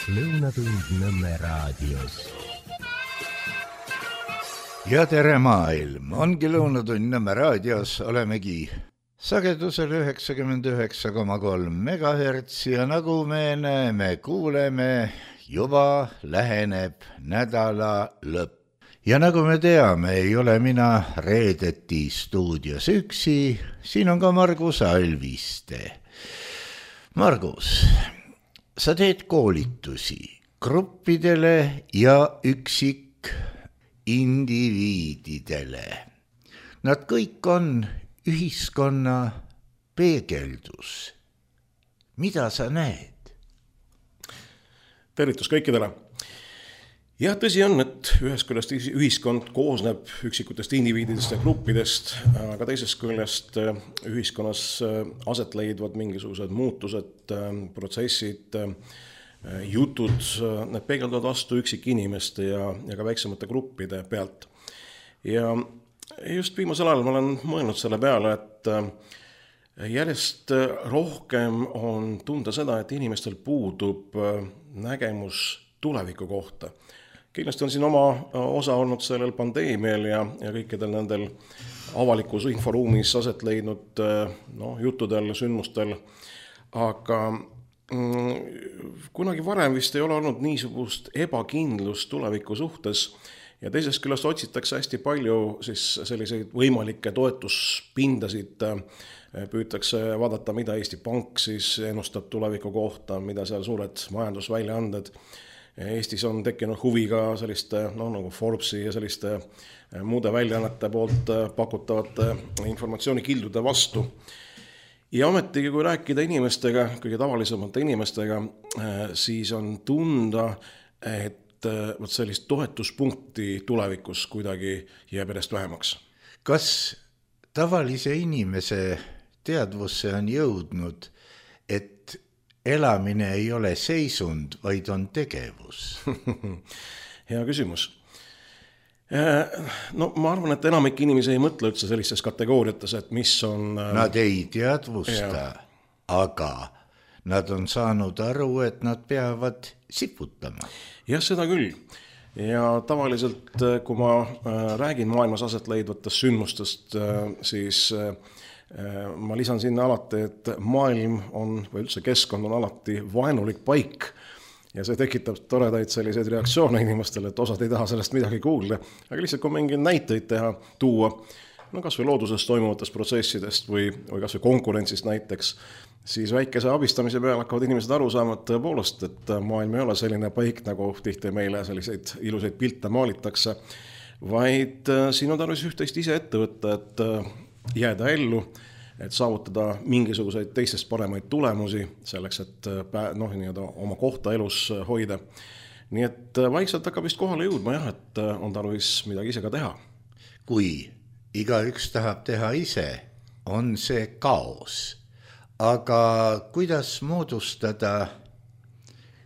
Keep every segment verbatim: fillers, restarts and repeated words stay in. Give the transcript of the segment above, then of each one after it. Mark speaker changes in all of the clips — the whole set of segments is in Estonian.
Speaker 1: Lõunatund Nõmme raadios.
Speaker 2: Ja tere maailm, ongi Lõunatund Nõmme raadios, olemegi sagedusel üheksakümmend üheksa koma kolm megahertsi ja nagu me näeme, kuuleme, juba läheneb nädala lõpp. Ja nagu me teame, ei ole mina reedeti stuudios üksi, siin on ka Margus Alviste. Margus, sa teed koolitusi gruppidele ja üksik indiviididele. Nad kõik on ühiskonna peegeldus. Mida sa näed?
Speaker 3: Tervitus kõikidele. Jah, tõsi on, et ühest küljest ühiskond koosneb üksikutest indiviididest ja gruppidest, aga teisest küljest ühiskonnas aset leidvad mingisugused muutused, protsessid, jutud, need peegeldavad vastu üksik inimeste ja, ja ka väiksemate gruppide pealt. Ja just viimasel ajal ma olen mõelnud selle peale, et järjest rohkem on tunda seda, et inimestel puudub nägemus tuleviku kohta. Kindlasti on siin oma osa olnud sellel pandeemial ja, ja kõikidel nendel avalikus inforuumis aset leidnud no, juttudel, sündmustel, aga mm, kunagi varem vist ei ole olnud niisugust ebakindlust tuleviku suhtes ja teisest küljest otsitakse hästi palju siis selliseid võimalikke toetuspindasid, püütakse vaadata, mida Eesti Pank siis ennustab tuleviku kohta, mida seal suured majandusväljaanded. Eestis on tekkinud huvi ka selliste no, nagu Forbesi ja selliste muude väljaannete poolt pakutavate informatsioonikildude vastu. Ja ometigi, kui rääkida inimestega, kõige tavalisemate inimestega, siis on tunda, et võt sellist toetuspunkti tulevikus kuidagi jääb edest vähemaks.
Speaker 2: Kas tavalise inimese teadvusse on jõudnud, et elamine ei ole seisund, vaid on tegevus?
Speaker 3: Hea küsimus. No ma arvan, et enamik inimesi ei mõtle üldse sellistes kategooriates, et mis on...
Speaker 2: Nad ei teadvusta, ja. Aga nad on saanud aru, et nad peavad siputama.
Speaker 3: Jah, seda küll. Ja tavaliselt, kui ma räägin maailmas aset leidvatest sündmustest, siis... ma lisan sinna alati, et maailm on, või üldse keskkond on alati vaenulik paik ja see tekitab toredaid selliseid reaktsioone inimestele, et osad ei taha sellest midagi kuulda, aga lihtsalt kui mingi näiteid teha, tuua, no kas või looduses toimuvatest protsessidest või, või kas või konkurentsist näiteks, siis väikese abistamise peal hakkavad inimesed aru saama, et tõepoolest, et maailm ei ole selline paik, nagu tihti meile selliseid ilusaid pilte maalitakse, vaid siin on tarvis üht-teist ise ette võtta, et jääda ellu, et saavutada mingisuguseid teistest paremaid tulemusi selleks, et noh, nii-öelda oma kohta elus hoida. Nii et vaikselt hakkab vist kohale jõudma, jah, et on tarvis midagi ise ka teha.
Speaker 2: Kui igaüks tahab teha ise, on see kaos. Aga kuidas moodustada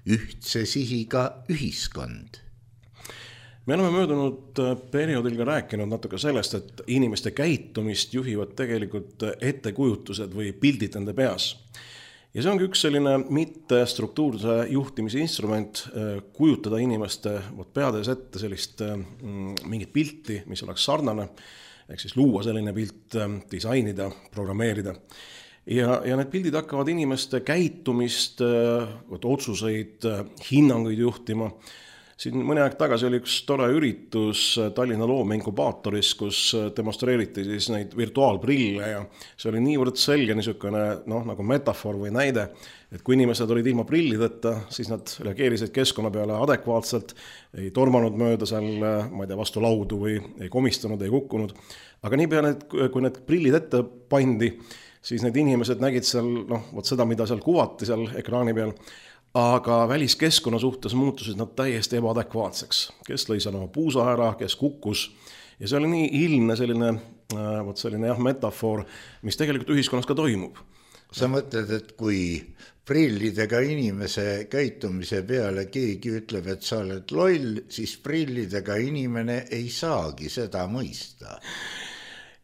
Speaker 2: ühtse sihiga ühiskond?
Speaker 3: Me oleme möödunud perioodil ka rääkinud natuke sellest, et inimeste käitumist juhivad tegelikult ettekujutused või pildid nende peas. Ja see ongi üks selline mitte struktuurse juhtimise instrument, kujutada inimeste peades ette sellist mingit pilti, mis oleks sarnane, ehk siis luua selline pilt, disainida, programmeerida. Ja, ja need pildid hakkavad inimeste käitumist, otsuseid, hinnanguid juhtima. Siin mõni aeg tagasi oli üks tore üritus Tallinna loomeinkubaatoris, kus demonstreeriti siis neid virtuaalprille ja see oli niivõrd selge niisugune noh, nagu metafoor või näide, et kui inimesed olid ilma prillideta, siis nad reageerisid keskkonna peale adekvaatselt, ei tormanud mööda seal, ma ei tea, vastu laudu või ei komistanud, ei kukkunud. Aga nii peale, kui need prillid ette pandi, siis need inimesed nägid seal noh, võt seda, mida seal kuvati seal ekraani peal, aga väliskeskkonna suhtes muutusid nad täiesti ebaadekvaatseks. Kes lõi seal oma puusa ära, kes kukkus. Ja see oli nii ilmne selline, võt selline jah, metafoor, mis tegelikult ühiskonnas ka toimub.
Speaker 2: Sa mõtled, et kui prillidega inimese käitumise peale keegi ütleb, et sa oled loll, siis prillidega inimene ei saagi seda mõista.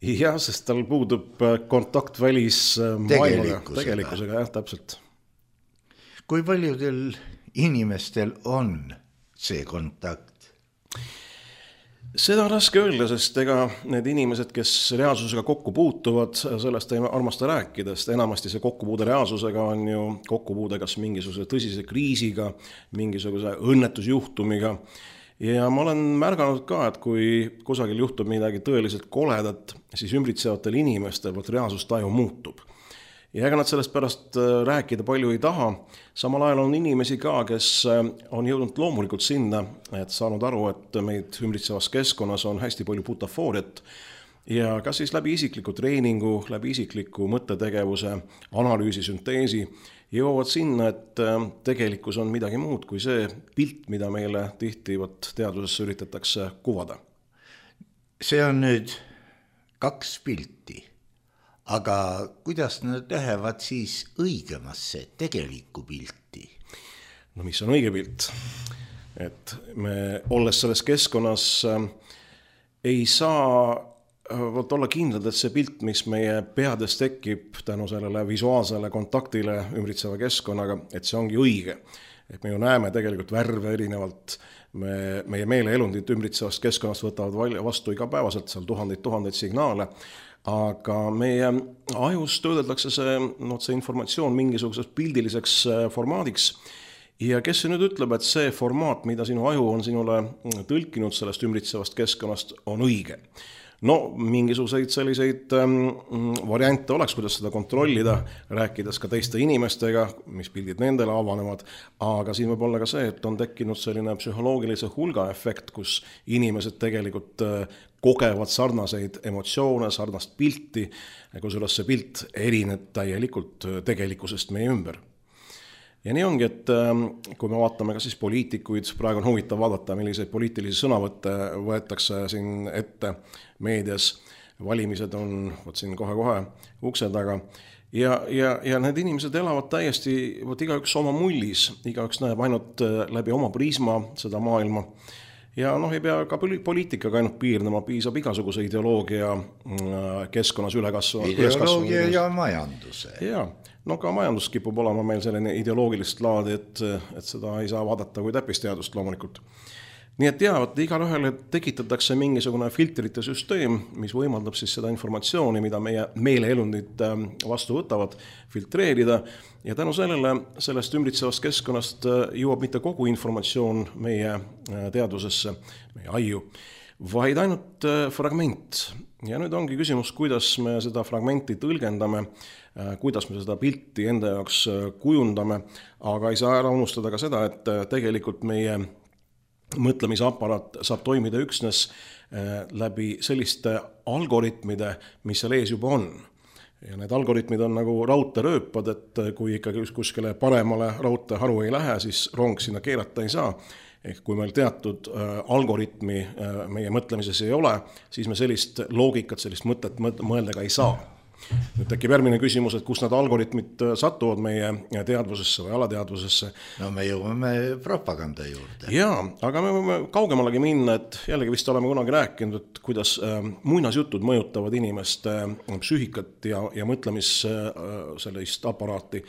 Speaker 3: Jah, sest tal puudub kontakt välis maailmaga, tegelikkusega, jah, täpselt.
Speaker 2: Kui paljudel inimestel on see kontakt?
Speaker 3: Seda on raske öelda, sest ega need inimesed, kes reaalsusega kokku puutuvad, sellest ei armasta rääkida, sest enamasti see kokkupuude reaalsusega on ju kokkupuude kas mingisuguse tõsise kriisiga, mingisuguse õnnetusjuhtumiga. Ja ma olen märganud ka, et kui kusagil juhtub midagi tõeliselt koledat, siis ümbritsevatel inimestel võt reaalsustaju muutub. Ja ega nad sellest pärast rääkida palju ei taha. Samal ajal on inimesi ka, kes on jõudnud loomulikult sinna, et saanud aru, et meid ümbritsevas keskkonnas on hästi palju butafooriat. Ja kas siis läbi isikliku treeningu, läbi isikliku mõttetegevuse, analüüsi, sünteesi jõuavad sinna, et tegelikkus on midagi muud kui see pilt, mida meile tihti teadusesse üritatakse kuvada.
Speaker 2: See on nüüd kaks pilti. Aga kuidas nad lähevad siis õigemasse tegelikku pilti?
Speaker 3: No mis on õige pilt? Et me olles selles keskkonnas ei saa olla kindlad, et see pilt, mis meie peades tekib tänu sellele visuaalsele kontaktile ümbritseva keskkonnaga, et see ongi õige. Et me ju näeme tegelikult värve erinevalt, me, meie meeleelundid ümbritsevast keskkonnast võtavad vastu igapäevaselt seal tuhandeid, tuhandeid signaale, aga meie ajus töödeldakse see, no, see informatsioon mingisuguseks pildiliseks formaadiks. Ja kes see nüüd ütleb, et see formaat, mida sinu aju on sinule tõlkinud sellest ümbritsevast keskkonnast, on õige? No, mingisuguseid selliseid ähm, variante oleks, kuidas seda kontrollida, rääkides ka teiste inimestega, mis pildid nendele avanevad, aga siin võib olla ka see, et on tekkinud selline psühholoogilise hulga efekt, kus inimesed tegelikult äh, kogevad sarnaseid emotsioone, sarnast pilti, kusjuures see pilt erineb täielikult tegelikkusest meie ümber. Ja nii ongi, et kui me vaatame ka siis poliitikuid, praegu on huvitav vaadata, milliseid poliitilisi sõnavõtte võetakse siin ette meedias, valimised on võt siin kohe-kohe ukse taga, ja, ja, ja need inimesed elavad täiesti, võt igaüks oma mullis, igaüks näeb ainult läbi oma prisma seda maailma, ja noh, ei pea ka poliitikaga ainult piirnema, piisab igasuguse ideoloogia keskkonnas ülekasvu.
Speaker 2: Ideoloogia ja majanduse.
Speaker 3: Jaa. No ka majandus kipub olema meil selline ideoloogilist laadi, et, et seda ei saa vaadata kui täppisteadust loomulikult. Nii et jah, et igal ühele tekitatakse mingisugune filtrite süsteem, mis võimaldab siis seda informatsiooni, mida meie meeleelundid vastu võtavad, filtreerida, ja tänu sellele sellest ümbritsevast keskkonnast jõuab mitte kogu informatsioon meie teadvusesse, meie aiu, vaid ainult fragment. Ja nüüd ongi küsimus, kuidas me seda fragmenti tõlgendame, kuidas me seda pilti enda jaoks kujundame, aga ei saa ära unustada ka seda, et tegelikult meie mõtlemisaparaat saab toimida üksnes läbi selliste algoritmide, mis seal ees juba on. Ja need algoritmid on nagu raudteerööpad, et kui ikkagi kuskile paremale raudteeharu ei lähe, siis rong sinna keerata ei saa. Ehk kui meil teatud algoritmi meie mõtlemises ei ole, siis me sellist loogikat, sellist mõtet mõelda ka ei saa. Nüüd tekib järgmine küsimus, et kus need algoritmid satuvad meie teadvusesse või alateadvusesse.
Speaker 2: No me jõuame propaganda juurde.
Speaker 3: Jaa, aga me võime kaugemalegi minna, et jällegi vist oleme kunagi rääkinud, et kuidas muinasjutud mõjutavad inimeste psüühikat ja, ja mõtlemis sellist aparaati.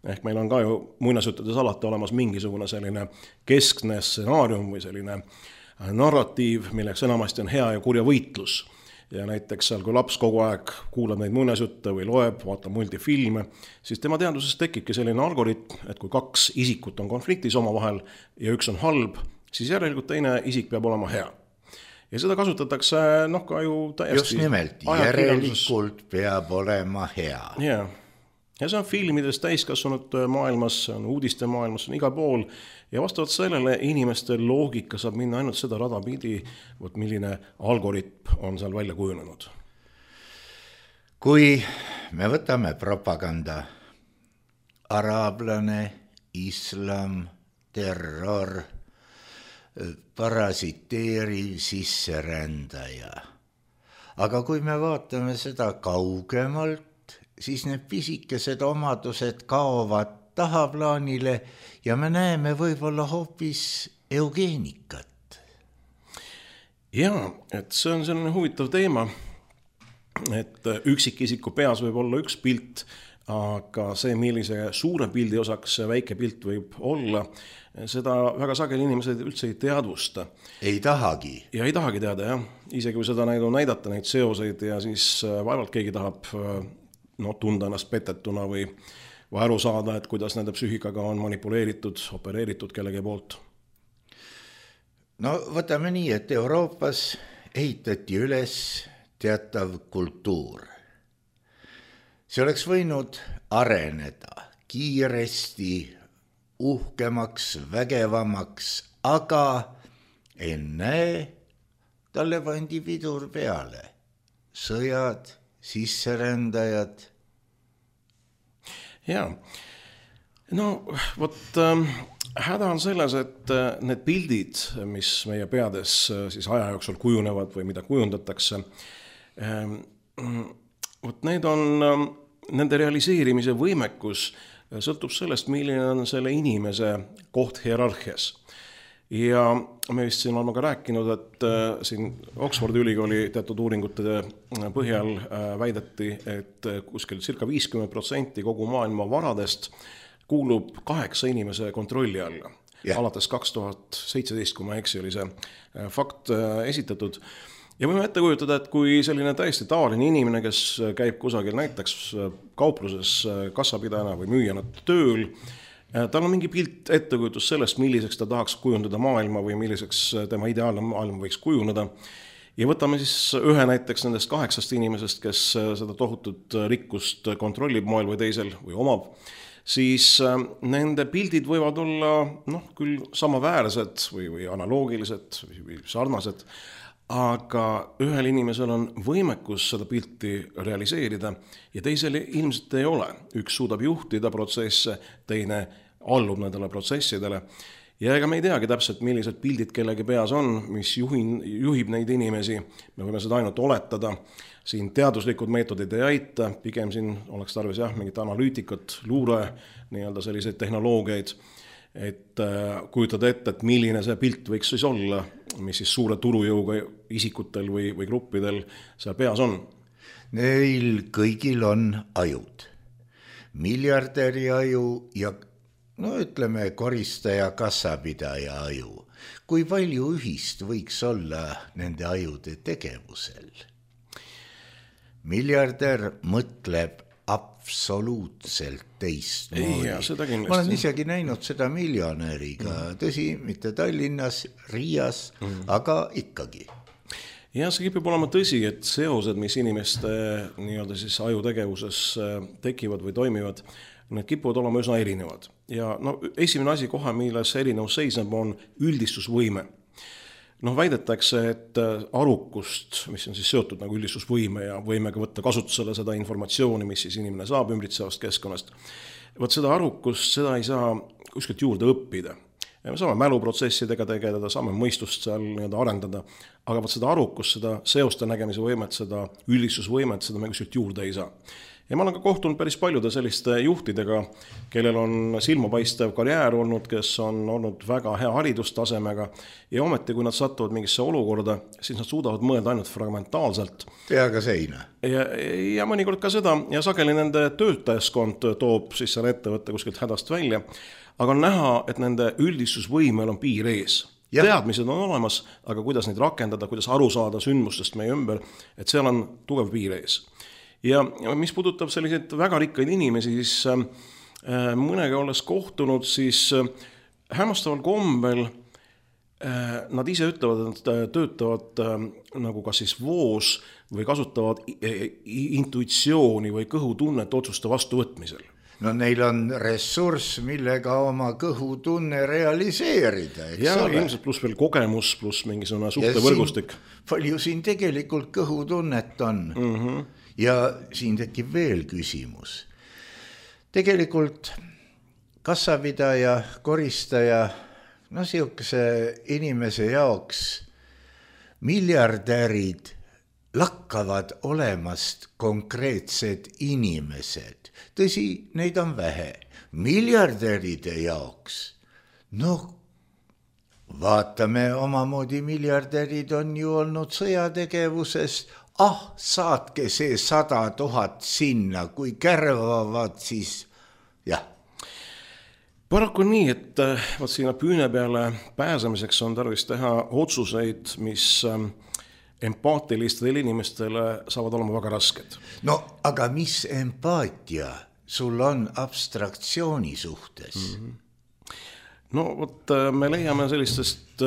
Speaker 3: Ehk meil on ka ju muinasjuttudes alati olemas mingisugune selline keskne stsenaarium või selline narratiiv, milleks enamasti on hea ja kurja võitlus. Ja näiteks seal, kui laps kogu aeg kuulab neid muinasjutte või loeb, vaatab multifilme, siis tema teadvuses tekibki selline algoritm, et kui kaks isikut on konfliktis omavahel ja üks on halb, siis järelikult teine isik peab olema hea. Ja seda kasutatakse noh ka ju täiesti...
Speaker 2: Just nimelt, järelikult peab olema hea.
Speaker 3: Jaa. Ja see on filmides täiskasvanud maailmas, on uudiste maailmas, on igal pool. Ja vastavalt sellele inimeste loogika saab minna ainult seda rada pidi, võt milline algoritm on seal välja kujunenud.
Speaker 2: Kui me võtame propaganda, araablane, islam, terror, parasiteeriv sisserändaja. Aga kui me vaatame seda kaugemalt, siis need pisikesed omadused kaovad tahaplaanile ja me näeme võib-olla hoopis eugeenikat.
Speaker 3: Jaa, et see on selline huvitav teema, et üksikisiku peas võib olla üks pilt, aga see, millise suure pildi osaks väike pilt võib olla, seda väga sageli inimesed üldse ei teadvusta.
Speaker 2: Ei tahagi.
Speaker 3: Ja ei tahagi teada, jah. Isegi kui seda näidu näidata, neid seoseid ja siis vaevalt keegi tahab no, tunda ennast petetuna või, või aru saada, et kuidas nende psüühikaga on manipuleeritud, opereeritud kellegi poolt.
Speaker 2: No võtame nii, et Euroopas ehitati üles teatav kultuur. See oleks võinud areneda kiiresti, uhkemaks, vägevamaks, aga enne talle pandi pidur peale. Sõjad, sisserändajad.
Speaker 3: Jaa, no vot ähm, häda on selles, et need pildid, mis meie peades siis aja jooksul kujunevad või mida kujundatakse, ähm, vot need on, nende realiseerimise võimekus sõltub sellest, milline on selle inimese koht hierarhias. Ja me vist siin oleme ka rääkinud, et siin Oxfordi ülikooli teatud uuringute põhjal väideti, et kuskil circa viiskümmend protsenti kogu maailma varadest kuulub kaheksa inimese kontrolli alla. Yeah. Alates kaks tuhat seitseteist, kui ma eksi, oli see fakt esitatud. Ja võime ette kujutada, et kui selline täiesti tavaline inimene, kes käib kusagil näiteks kaupluses kassapidajana või müüjana tööl, tal on mingi pilt ettekujutus sellest, milliseks ta tahaks kujundada maailma või milliseks tema ideaalne maailma võiks kujuneda. Ja võtame siis ühe näiteks nendest kaheksast inimesest, kes seda tohutut rikkust kontrollib moel või teisel või omab, siis nende pildid võivad olla noh, küll samaväärsed või, või analoogilised või sarnased, aga ühel inimesel on võimekus seda pilti realiseerida ja teisel ilmselt ei ole. Üks suudab juhtida protsesse, teine allub nendele protsessidele. Ja ega me ei teagi täpselt, millised pildid kellegi peas on, mis juhin, juhib neid inimesi. Me võime seda ainult oletada. Siin teaduslikud meetodid ei aita, pigem siin oleks tarvis jah, mingit analüütikat, luure, nii-öelda selliseid tehnoloogiaid, et kujutada ette, et milline see pilt võiks siis olla, mis siis suure turujõuga isikutel või, või gruppidel seal peas on.
Speaker 2: Neil kõigil on ajud. Miljardäri aju ja no ütleme koristaja kassapidaja aju. Kui palju ühist võiks olla nende ajude tegevusel? Miljardär mõtleb absoluutselt teistmoodi. Ma olen isegi näinud seda miljonäriga, mm. tõsi, mitte Tallinnas, Riias, mm. aga ikkagi.
Speaker 3: Ja see kipib olema tõsi, et seosed, mis inimeste nii-öelda siis ajutegevuses tekivad või toimivad, need kipuvad olema üsna erinevad. Ja no, esimene asi kohe, milles erinevus seisneb, on üldistusvõime. Noh, väidetakse, et arukust, mis on siis seotud nagu üldistusvõime ja võimega võtta kasutusele seda informatsiooni, mis siis inimene saab ümbritsevast keskkonnast. Võt seda arukust, seda ei saa kuskilt juurde õppida. Ja me saame mäluprotsessidega tegeleda, saame mõistust seal nii-öelda arendada, aga võt seda arukust, seda seoste nägemise võimet, seda üldistusvõimet, seda me kuskilt juurde ei saa. Ja ma olen ka kohtunud päris paljude selliste juhtidega, kellel on silmapaistev karjäär olnud, kes on olnud väga hea haridustasemega ja ometi, kui nad satuvad mingisse olukorda, siis nad suudavad mõelda ainult fragmentaalselt.
Speaker 2: Peaga seina.
Speaker 3: Ja, ja mõnikord ka seda ja sageli nende töötajaskond toob siis selle ettevõtte kuskilt hädast välja, aga on näha, et nende üldistusvõimel on piir ees. Ja. Teadmised on olemas, aga kuidas neid rakendada, kuidas aru saada sündmustest meie ümber, et seal on tugev piir ees. Ja mis puudutab selliseid väga rikkaid inimesi, siis äh, mõnega olles kohtunud, siis äh, hämmastaval kombel äh, nad ise ütlevad, et töötavad äh, nagu kas siis voos või kasutavad intuitsiooni või kõhutunnet otsuste vastuvõtmisel.
Speaker 2: No neil on ressurss, millega oma kõhutunne realiseerida, eks
Speaker 3: ja,
Speaker 2: ole?
Speaker 3: Ilmselt pluss veel kogemus, pluss mingisugune suhtevõrgustik.
Speaker 2: Palju siin tegelikult kõhutunnet on. Mm-hmm. Ja siin tekib veel küsimus. Tegelikult kassapidaja, koristaja, no siukese inimese jaoks miljardärid lakkavad olemast konkreetsed inimesed. Tõsi, neid on vähe. Miljardäride jaoks, noh, vaatame omamoodi miljardärid on ju olnud sõjategevuses, ah, saatke see sada tuhat sinna, kui kärvavad, siis jah.
Speaker 3: Paraku on nii, et vaat sinna püüne peale pääsemiseks on tarvis teha otsuseid, mis empaatilistele inimestele saavad olema väga rasked.
Speaker 2: No aga mis empaatia sul on abstraktsiooni suhtes? Mm-hmm.
Speaker 3: No vot, me leiame sellistest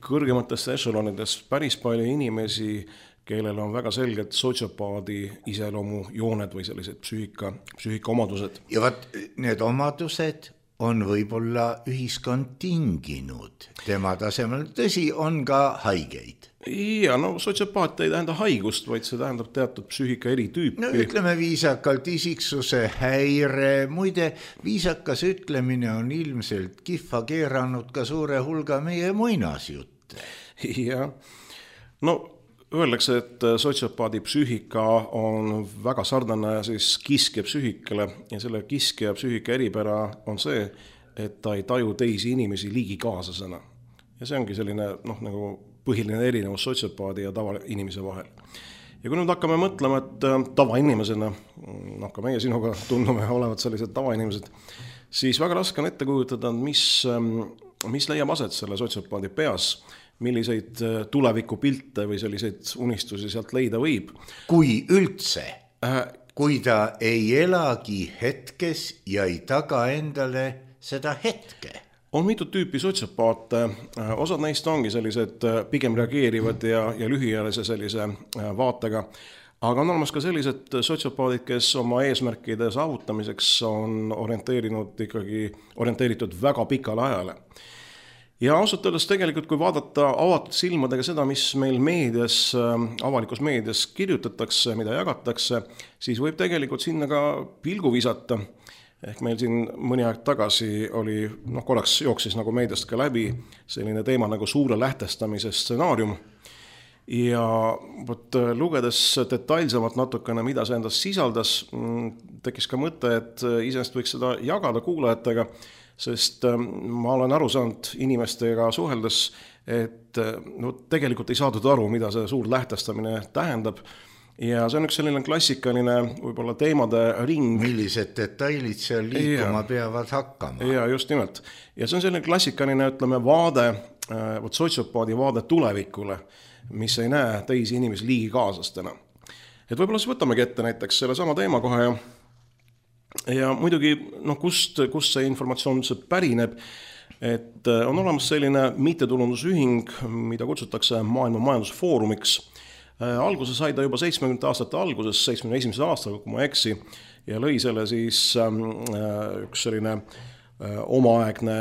Speaker 3: kõrgematest ešelonidest päris palju inimesi, kellel on väga selged sotsiopaadi iseloomu jooned või sellised psüühika, psüühika omadused.
Speaker 2: Ja vaat need omadused on võib-olla ühiskond tinginud tema tasemel. Tõsi, on ka haigeid.
Speaker 3: Ja, no sotsiopaat ei tähenda haigust, vaid see tähendab teatud psüühika eritüüpi.
Speaker 2: No ütleme viisakalt isiksuse häire. Muide, viisakas ütlemine on ilmselt kihva keeranud ka suure hulga meie muinasjutte.
Speaker 3: Ja, no öeldakse, et sotsiopaadi psüühika on väga sarnane siis kiskja psüühikale ja selle kiskja psüühika eripära on see, et ta ei taju teisi inimesi liigikaaslasena. Ja see ongi selline noh, nagu põhiline erinevus sotsiopaadi ja tavainimese vahel. Ja kui nüüd hakkame mõtlema, et tavainimesena, noh ka meie sinuga tunnume olevat sellised tavainimesed, siis väga raske on ette kujutada, mis, mis leiab aset selle sotsiopaadi peas, milliseid tulevikupilte või selliseid unistusi sealt leida võib.
Speaker 2: Kui üldse, äh, kui ta ei elagi hetkes ja ei taga endale seda hetke.
Speaker 3: On mitu tüüpi sotsiopaate, osad neist ongi sellised pigem reageerivad ja, ja lühiajalise sellise vaatega, aga on olemas ka sellised sotsiopaadid, kes oma eesmärkide saavutamiseks on orienteerinud ikkagi, orienteeritud väga pikale ajale. Ja ausalt öeldes tegelikult, kui vaadata avatud silmadega seda, mis meil meedias, avalikus meedias kirjutatakse, mida jagatakse, siis võib tegelikult sinna ka pilgu visata. Ehk meil siin mõni aeg tagasi oli, noh korraks jooksis nagu meediast ka läbi selline teema nagu suure lähtestamise stsenaarium. Ja võt, lugedes detailsemalt natukene, mida see endast sisaldas, tekkis ka mõte, et iseenesest võiks seda jagada kuulajatega, sest ma olen aru saanud inimestega suheldes, et no, tegelikult ei saadud aru, mida see suur lähtestamine tähendab. Ja see on üks selline klassikaline võib-olla teemade ring.
Speaker 2: Millised detailid seal liikuma ja, peavad hakkama.
Speaker 3: Ja just nimelt. Ja see on selline klassikaline, ütleme, vaade, võt sotsiopaadi vaade tulevikule, mis ei näe teisi inimesi liigikaaslastena. Et võib-olla siis võtamegi ette näiteks selle sama teema kohe ja, ja muidugi, noh, kust, kust see informatsioon pärineb, et on olemas selline mittetulundusühing, mida kutsutakse Maailma Majandusfoorumiks. Alguse sai ta juba seitsmekümnendate aastate alguses, seitsmekümne esimesel aastal, kui ma eksi, ja lõi selle siis üks selline omaaegne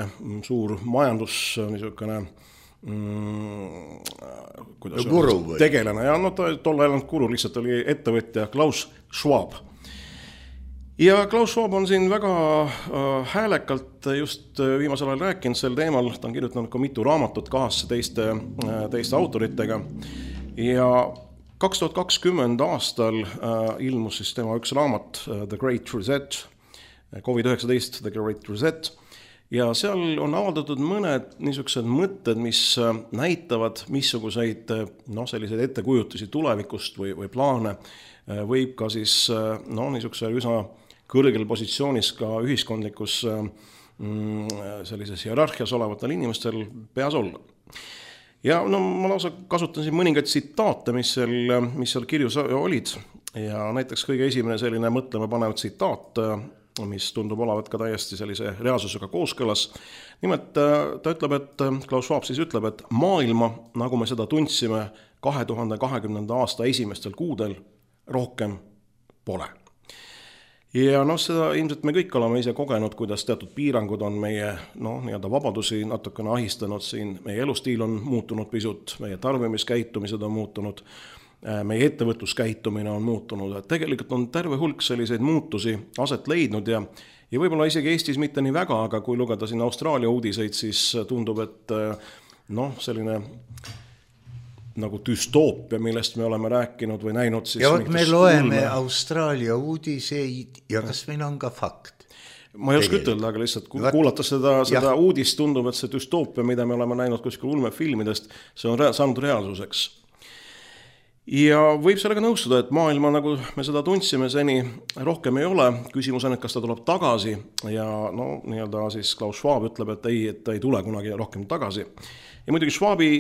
Speaker 3: suur majandus, niisugune kuidas
Speaker 2: guru
Speaker 3: või? Tegelane. Ja no tol ajal guru lihtsalt oli ettevõtja Klaus Schwab. Ja Klaus Schwab on siin väga häälekalt just viimasel ajal rääkinud sel teemal, ta on kirjutanud ka mitu raamatut kahasse teiste, teiste autoritega. Ja kaks tuhat kakskümmend aastal ilmus siis tema üks raamat The Great Reset, covid üheksateist The Great Reset, ja seal on avaldatud mõned niisugused mõtted, mis näitavad, missuguseid no, selliseid ettekujutusi tulevikust või, või plaane võib ka siis no, niisuguse üsna kõrgel positsioonis ka ühiskondlikus sellises hierarhias olevatel inimestel peas olla. Ja no, ma lausa kasutan siin mõningaid tsitaate, mis seal, mis seal kirjus olid. Ja näiteks kõige esimene selline mõtlema panev tsitaat, mis tundub olevat ka täiesti sellise reaalsusega kooskõlas. Nimelt ta ütleb, et Klaus Schwab siis ütleb, et maailma, nagu me seda tundsime kahe tuhande kahekümnenda aasta esimestel kuudel, rohkem pole. Ja noh, seda ilmselt me kõik oleme ise kogenud, kuidas teatud piirangud on meie no, nii-öelda vabadusi natukene ahistanud siin, meie elustiil on muutunud pisut, meie tarbimiskäitumised on muutunud, meie ettevõtluskäitumine on muutunud, et tegelikult on terve hulk selliseid muutusi aset leidnud ja, ja võib-olla isegi Eestis mitte nii väga, aga kui lugeda siin Austraalia uudiseid, siis tundub, et noh, selline nagu düstoopia, millest me oleme rääkinud või näinud. Siis
Speaker 2: ja võt me loeme ulme. Austraalia uudiseid ja kas meil on ka fakt?
Speaker 3: Ma ei oska ütelda, aga lihtsalt kuulata seda, seda uudist tundub, et see düstoopia, mida me oleme näinud kuskil ulmefilmidest, see on rea- saanud reaalsuseks. ja võib sellega nõustuda, et maailma, nagu me seda tundsime seni, rohkem ei ole. Küsimus on, et kas ta tuleb tagasi ja no nii-öelda siis Klaus Schwab ütleb, et ei, et ta ei tule kunagi rohkem tagasi. Ja muidugi Schwabi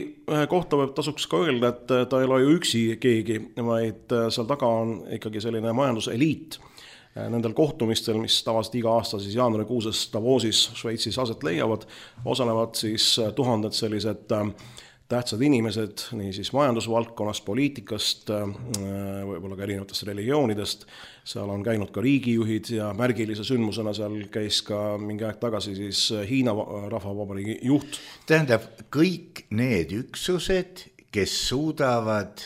Speaker 3: kohta võib tasuks ka öelda, et ta ei ole ju üksi keegi, vaid seal taga on ikkagi selline majanduseliit. Nendel kohtumistel, mis tavaliselt iga aasta siis jaanuarikuuses Davosis Šveitsis aset leiavad, osalevad siis tuhanded sellised tähtsad inimesed, nii siis majandusvaldkonnast, poliitikast, võib-olla ka erinevatest religioonidest. Seal on käinud ka riigijuhid ja märgilise sündmusena seal käis ka mingi aeg tagasi siis Hiina rahvavabariigi juht.
Speaker 2: Tähendab, kõik need üksused, kes suudavad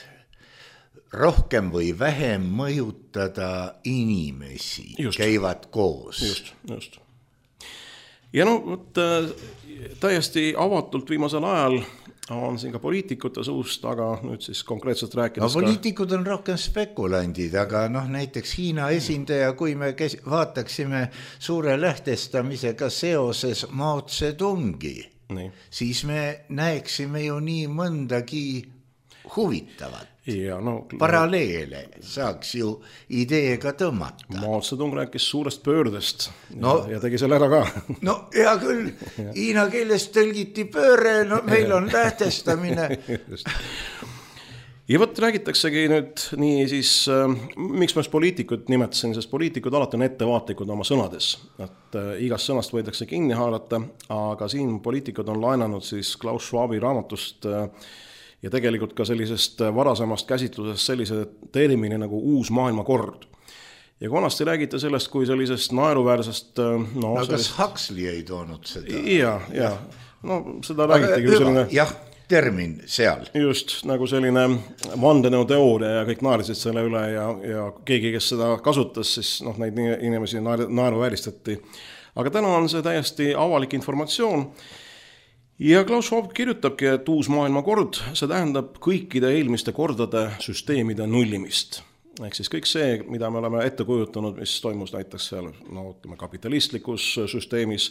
Speaker 2: rohkem või vähem mõjutada inimesi, just, käivad koos.
Speaker 3: Just, just. Ja no, võt, täiesti avatult viimasel ajal on siin ka poliitikute suust, aga nüüd siis konkreetselt rääkides
Speaker 2: no, poliitikud on rohkem spekulandid, aga noh, näiteks Hiina esindaja, kui me kes, vaataksime suure lähtestamisega seoses Mao Zedongi, nii. Siis me näeksime ju nii mõndagi huvitavat. Ja, no, paralleele saaks ju ideega tõmmata.
Speaker 3: Mao Zedong rääkis suurest pöördest no, ja, ja tegi selle ära ka.
Speaker 2: No hea küll, hiina keeles tõlgiti pööre, no meil on lähtestamine.
Speaker 3: Ja võt räägitaksegi nüüd nii siis, äh, miks ma poliitikud nimetasin, sest poliitikud alati on ettevaatlikud oma sõnades. Et äh, igast sõnast võidakse kinni haarata, aga siin poliitikud on laenanud siis Klaus Schwabi raamatust äh, ja tegelikult ka sellisest varasemast käsitlusest sellise termini nagu uus maailmakord. Ja konasti räägite sellest kui sellisest naeruväärsest... No,
Speaker 2: no
Speaker 3: sellist...
Speaker 2: kas Huxley ei toonud seda?
Speaker 3: Ja, ja. No seda räägitegi ju selline...
Speaker 2: Jah, termin seal.
Speaker 3: Just, nagu selline vandenõuteooria ja kõik naerisid selle üle ja, ja keegi, kes seda kasutas, siis noh, neid inimesi naeruvääristati. Aga täna on see täiesti avalik informatsioon. Ja Klaus Schwab kirjutabki, et uus maailmakord, see tähendab kõikide eelmiste kordade süsteemide nullimist. Ehk siis kõik see, mida me oleme ette kujutanud, mis toimus näiteks seal no, ütleme, kapitalistlikus süsteemis,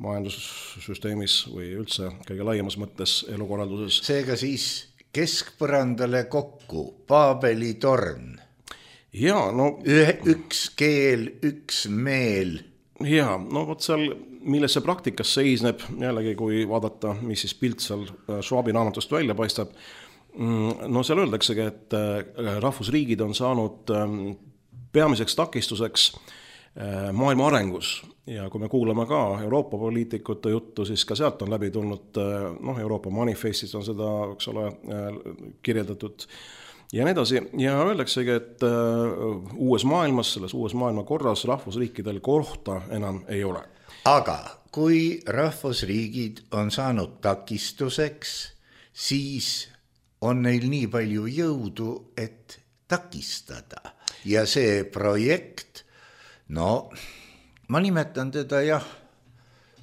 Speaker 3: majandussüsteemis või üldse kõige laiemas mõttes elukorralduses.
Speaker 2: Seega siis keskpõrandale kokku, Paabeli torn.
Speaker 3: Ja, no...
Speaker 2: Ühe, üks keel, üks meel.
Speaker 3: Ja, no võt seal... milles see praktikas seisneb, jällegi kui vaadata, mis siis pilt seal Schwabi raamatust välja paistab, no seal öeldaksegi, et rahvusriigid on saanud peamiseks takistuseks maailma arengus ja kui me kuulame ka Euroopa poliitikute juttu, siis ka sealt on läbi tulnud, noh, Euroopa manifestis on seda, eks ole, kirjeldatud ja nii edasi. Ja öeldaksegi, et uues maailmas, selles uues maailma korras rahvusriikidel kohta enam ei ole.
Speaker 2: Aga kui rahvusriigid on saanud takistuseks, siis on neil nii palju jõudu, et takistada. Ja see projekt, no ma nimetan teda jah,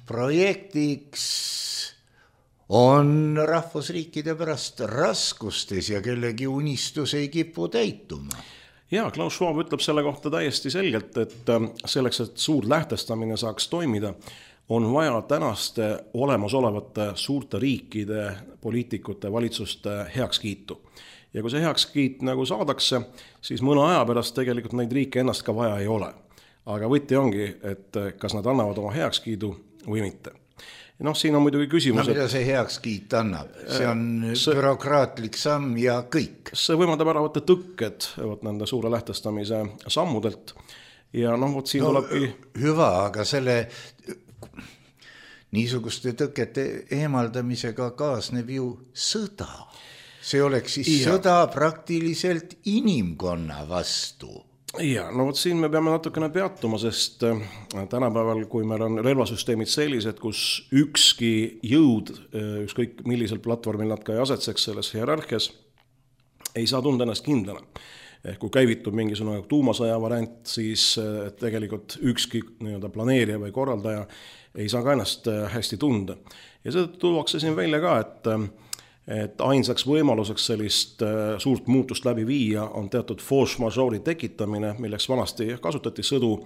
Speaker 2: projektiks on rahvusriikide pärast raskustes ja kellegi unistus ei kipu täituma.
Speaker 3: Ja, Klaus Schwab ütleb selle kohta täiesti selgelt, et selleks, et suur lähtestamine saaks toimida, on vaja tänaste olemasolevate suurte riikide, poliitikute, valitsuste heakskiitu. Ja kui see heakskiit nagu saadakse, siis mõne aja pärast tegelikult neid riike ennast ka vaja ei ole. Aga võti ongi, et kas nad annavad oma heakskiidu või mitte. Noh, siin on muidugi küsimus,
Speaker 2: no, mida see heakskiit annab? See on see, bürokraatlik samm ja kõik.
Speaker 3: See võimaldab ära võtta tõkked võt, nende suure lähtestamise sammudelt. Ja noh, võt siin no, tulebki...
Speaker 2: Hüva, aga selle niisuguste tõkete eemaldamisega kaasneb ju sõda. See oleks siis ja. Sõda praktiliselt inimkonna vastu.
Speaker 3: Ja, no võt siin me peame natukene peatuma, sest tänapäeval, kui meil on relvasüsteemid sellised, kus ükski jõud, ükskõik millisel platvormil nad ka ei asetseks selles hierarhias, ei saa tunda ennast kindlana. Ehk kui käivitub mingisugune tuumasõja variant, siis tegelikult ükski nii-öelda planeerija või korraldaja ei saa ka ennast hästi tunda. Ja seda tuuakse siin välja ka, et et ainsaks võimaluseks sellist suurt muutust läbi viia on teatud force majeure'i tekitamine, milleks vanasti kasutati sõdu,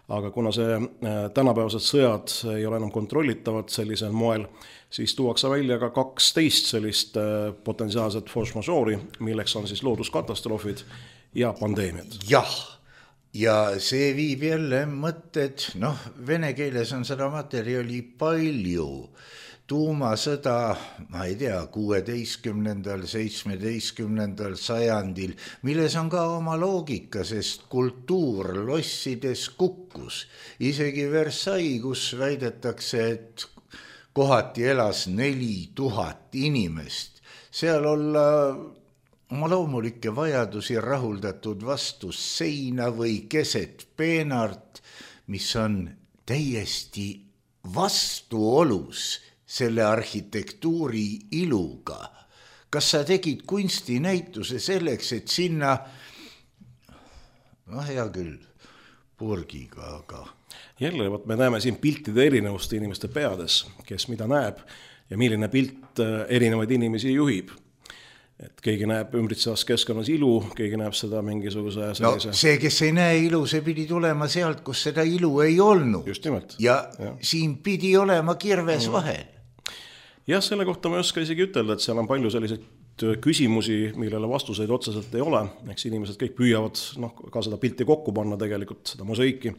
Speaker 3: aga kuna see tänapäevased sõjad ei ole enam kontrollitavad sellisel moel, siis tuuakse välja ka kaksteist sellist potentsiaalset force majeure'i, milleks on siis looduskatastroofid ja pandeemiad.
Speaker 2: Jah, ja see viib jälle mõtted, noh, vene keeles on seda materjali palju. Tuumasõda, ma ei tea, kuueteistkümnendal, seitsmeteistkümnendal sajandil, milles on ka oma loogika, sest kultuur lossides kukkus. Isegi Versailles, kus väidetakse, et kohati elas neli tuhat inimest. Seal olla oma loomulikke vajadusi rahuldatud vastus seina või keset peenart, mis on täiesti vastuolus selle arhitektuuri iluga. Kas sa tegid kunstinäituse selleks, et sinna, noh hea küll, purgiga, aga...
Speaker 3: Jälle, me näeme siin piltide erinevust inimeste peades, kes mida näeb ja milline pilt erinevaid inimesi juhib. Et keegi näeb ümbritsevas keskkonnas ilu, keegi näeb seda mingisuguse sellise...
Speaker 2: No see, kes ei näe ilu, see pidi tulema sealt, kus seda ilu ei olnud.
Speaker 3: Just nimelt.
Speaker 2: Ja, ja siin pidi olema kirves mm. vahel.
Speaker 3: Jah, selle kohta ma ei oska isegi ütelda, et seal on palju selliseid küsimusi, millele vastuseid otseselt ei ole. Eks inimesed kõik püüavad noh, ka seda pilti kokku panna tegelikult, seda mosaiki.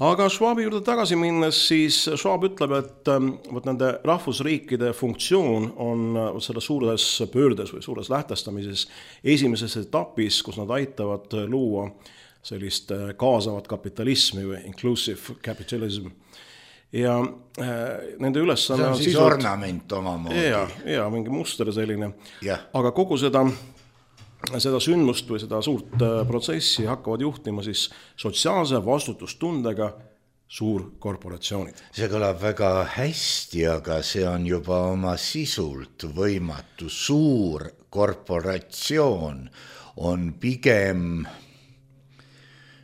Speaker 3: Aga Schwabi juurde tagasi minnes, siis Schwab ütleb, et võt nende rahvusriikide funktsioon on selles suures pöördes või suures lähtestamises esimeses etapis, kus nad aitavad luua sellist kaasavat kapitalismi või inclusive capitalism. Ja äh, nende ülesanne
Speaker 2: on siis sisult... ornament omamoodi.
Speaker 3: Ja, ja mingi muster selline.
Speaker 2: Ja.
Speaker 3: Aga kogu seda, seda sündmust või seda suurt protsessi hakkavad juhtima siis sotsiaalse vastutustundega suurkorporatsioonid.
Speaker 2: See kõlab väga hästi, aga see on juba oma sisult võimatu. Suur korporatsioon on pigem...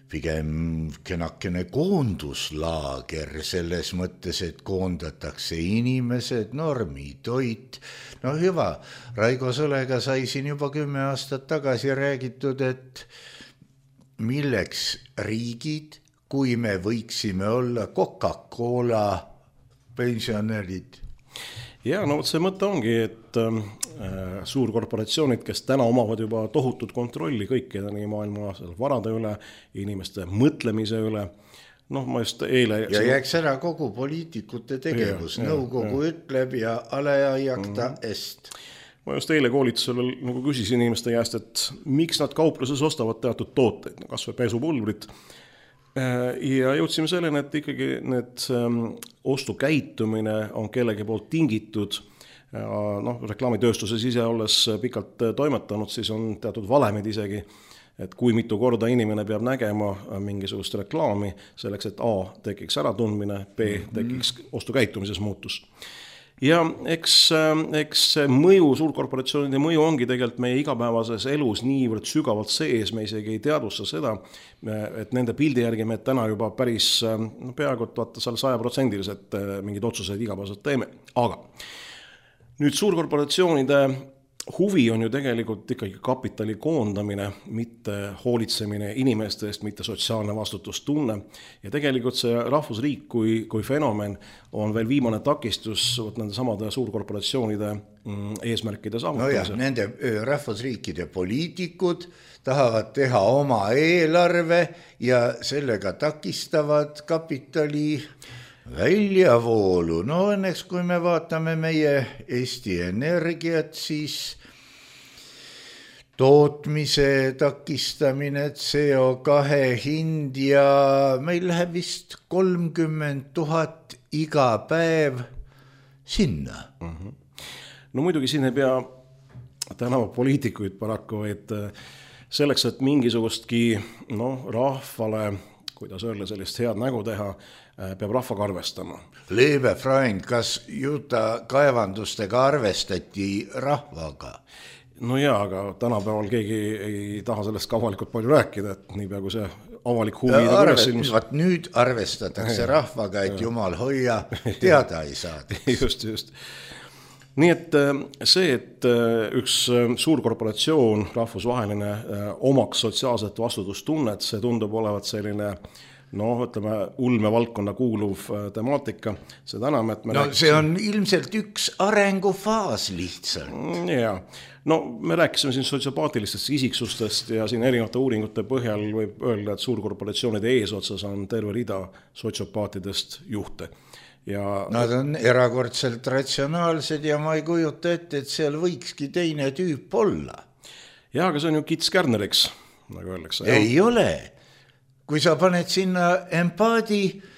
Speaker 2: pigem kenakene koonduslaager selles mõttes, et koondatakse inimesed, normi, toit. No hüva, Raigo Sõlega sai siin juba kümme aastat tagasi räägitud, et milleks riigid, kui me võiksime olla Coca-Cola pensionärid.
Speaker 3: Ja, no see mõte ongi, et äh, suurkorporatsioonid, kes täna omavad juba tohutut kontrolli kõikide nii maailma varade üle, inimeste mõtlemise üle, noh ma just eile...
Speaker 2: Ja jääks ära kogu poliitikute tegevus, ja, nõukogu ja, ütleb ja alajakta mm. est.
Speaker 3: Ma just eile koolitusel nagu küsisin inimeste käest, et miks nad kaupluses ostavad teatud tooteid, kas või pesupulbrit. Ja jõudsime selleni, et ikkagi need ostukäitumine on kellegi poolt tingitud. Noh, reklaamitööstuses ise olles pikalt toimetanud, siis on teatud valemid isegi, et kui mitu korda inimene peab nägema mingisugust reklaami selleks, et A tekiks äratundmine, B tekiks ostukäitumises muutus. Ja eks, eks mõju, suurkorporatsioonide mõju ongi tegelikult meie igapäevases elus niivõrd sügavalt sees, me isegi ei teadvusta seda, et nende pildi järgi me täna juba päris no, peaaegu vaata seal saja protsendiliselt mingid otsuseid igapäevaselt teeme. Aga nüüd suurkorporatsioonide huvi on ju tegelikult ikkagi kapitali koondamine, mitte hoolitsemine inimeste eest, mitte sotsiaalne vastutustunne. Ja tegelikult see rahvusriik kui, kui fenomen on veel viimane takistus võt nende samade suurkorporatsioonide eesmärkide saavutamisel.
Speaker 2: No jah, nende rahvusriikide poliitikud tahavad teha oma eelarve ja sellega takistavad kapitali väljavoolu. No õnneks, kui me vaatame meie Eesti Energiat, siis tootmise takistamine, C O kahe hind ja meil läheb vist kolmkümmend tuhat iga päev sinna.
Speaker 3: Mm-hmm. No muidugi siin ei pea tänava poliitikuid paraku, et selleks, et mingisugustki no, rahvale, kuidas öelda, sellist head nägu teha, peab rahvaga arvestama.
Speaker 2: Leebe Freund, kas Juta kaevandustega arvestati rahvaga?
Speaker 3: No jaa, aga tänapäeval keegi ei taha sellest ka avalikult palju rääkida, et nii peaaegu see avalik huvi...
Speaker 2: Arvest, nüüd arvestatakse rahvaga, et jumal hoia, teada ei saada.
Speaker 3: Just, just. nii et see, et üks suur korporatsioon, rahvusvaheline, omaks sotsiaalset vastutustunnet, see tundub olevat selline noh, ütleme, ulmevaldkonna kuuluv temaatika, seda enam, et me
Speaker 2: no rääkisime... see on ilmselt üks arengufaas lihtsalt.
Speaker 3: Jaa, no me rääkisime siin sotsiopaatilistest isiksustest ja siin erinevate uuringute põhjal võib öelda, et suurkorporatsioonide eesotsas on terve rida sotsiopaatidest juhte. Ja... Nad
Speaker 2: on erakordselt ratsionaalsed ja ma ei kujuta ette, et seal võikski teine tüüp olla.
Speaker 3: Jaa, aga see on ju kits kärneriks, nagu öeldakse.
Speaker 2: Ei jah. Ole. Kui sa paned sinna empaadi,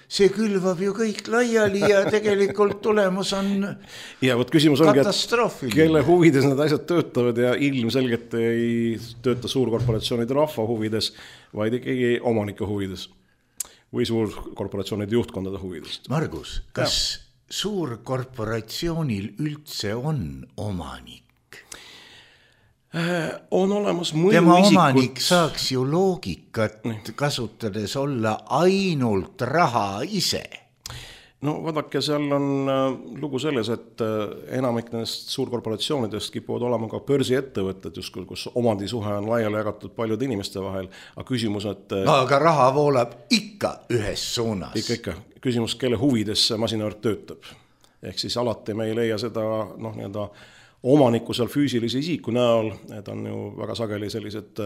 Speaker 2: see külvab ju kõik laiali ja tegelikult tulemus on
Speaker 3: ja, võt, küsimus ongi,
Speaker 2: katastroofiline.
Speaker 3: Kelle huvides need asjad töötavad ja ilmselgelt ei tööta suurkorporatsioonide rahva huvides, vaid ikkagi omanike huvides. Või suurkorporatsioonide juhtkondade huvidest.
Speaker 2: Margus, kas ja. Suurkorporatsioonil üldse on omanik?
Speaker 3: Äh, on olemas mõju
Speaker 2: Tema
Speaker 3: isikut...
Speaker 2: omanik saaks ju loogikat Nii. kasutades olla ainult raha ise.
Speaker 3: No vaadake, seal on lugu selles, et enamik nendest suurkorporatsioonidest kipuvad olema ka börsiettevõtted, just kus omandisuhe on laiali jagatud paljude inimeste vahel, aga küsimus, et...
Speaker 2: No, aga raha voolab ikka ühes suunas.
Speaker 3: Ikka, ikka. Küsimus, kelle huvides see masinavõrk töötab. Ehk siis alati me ei leia seda noh, nii-öelda omaniku seal füüsilise isiku näol, et on ju väga sageli sellised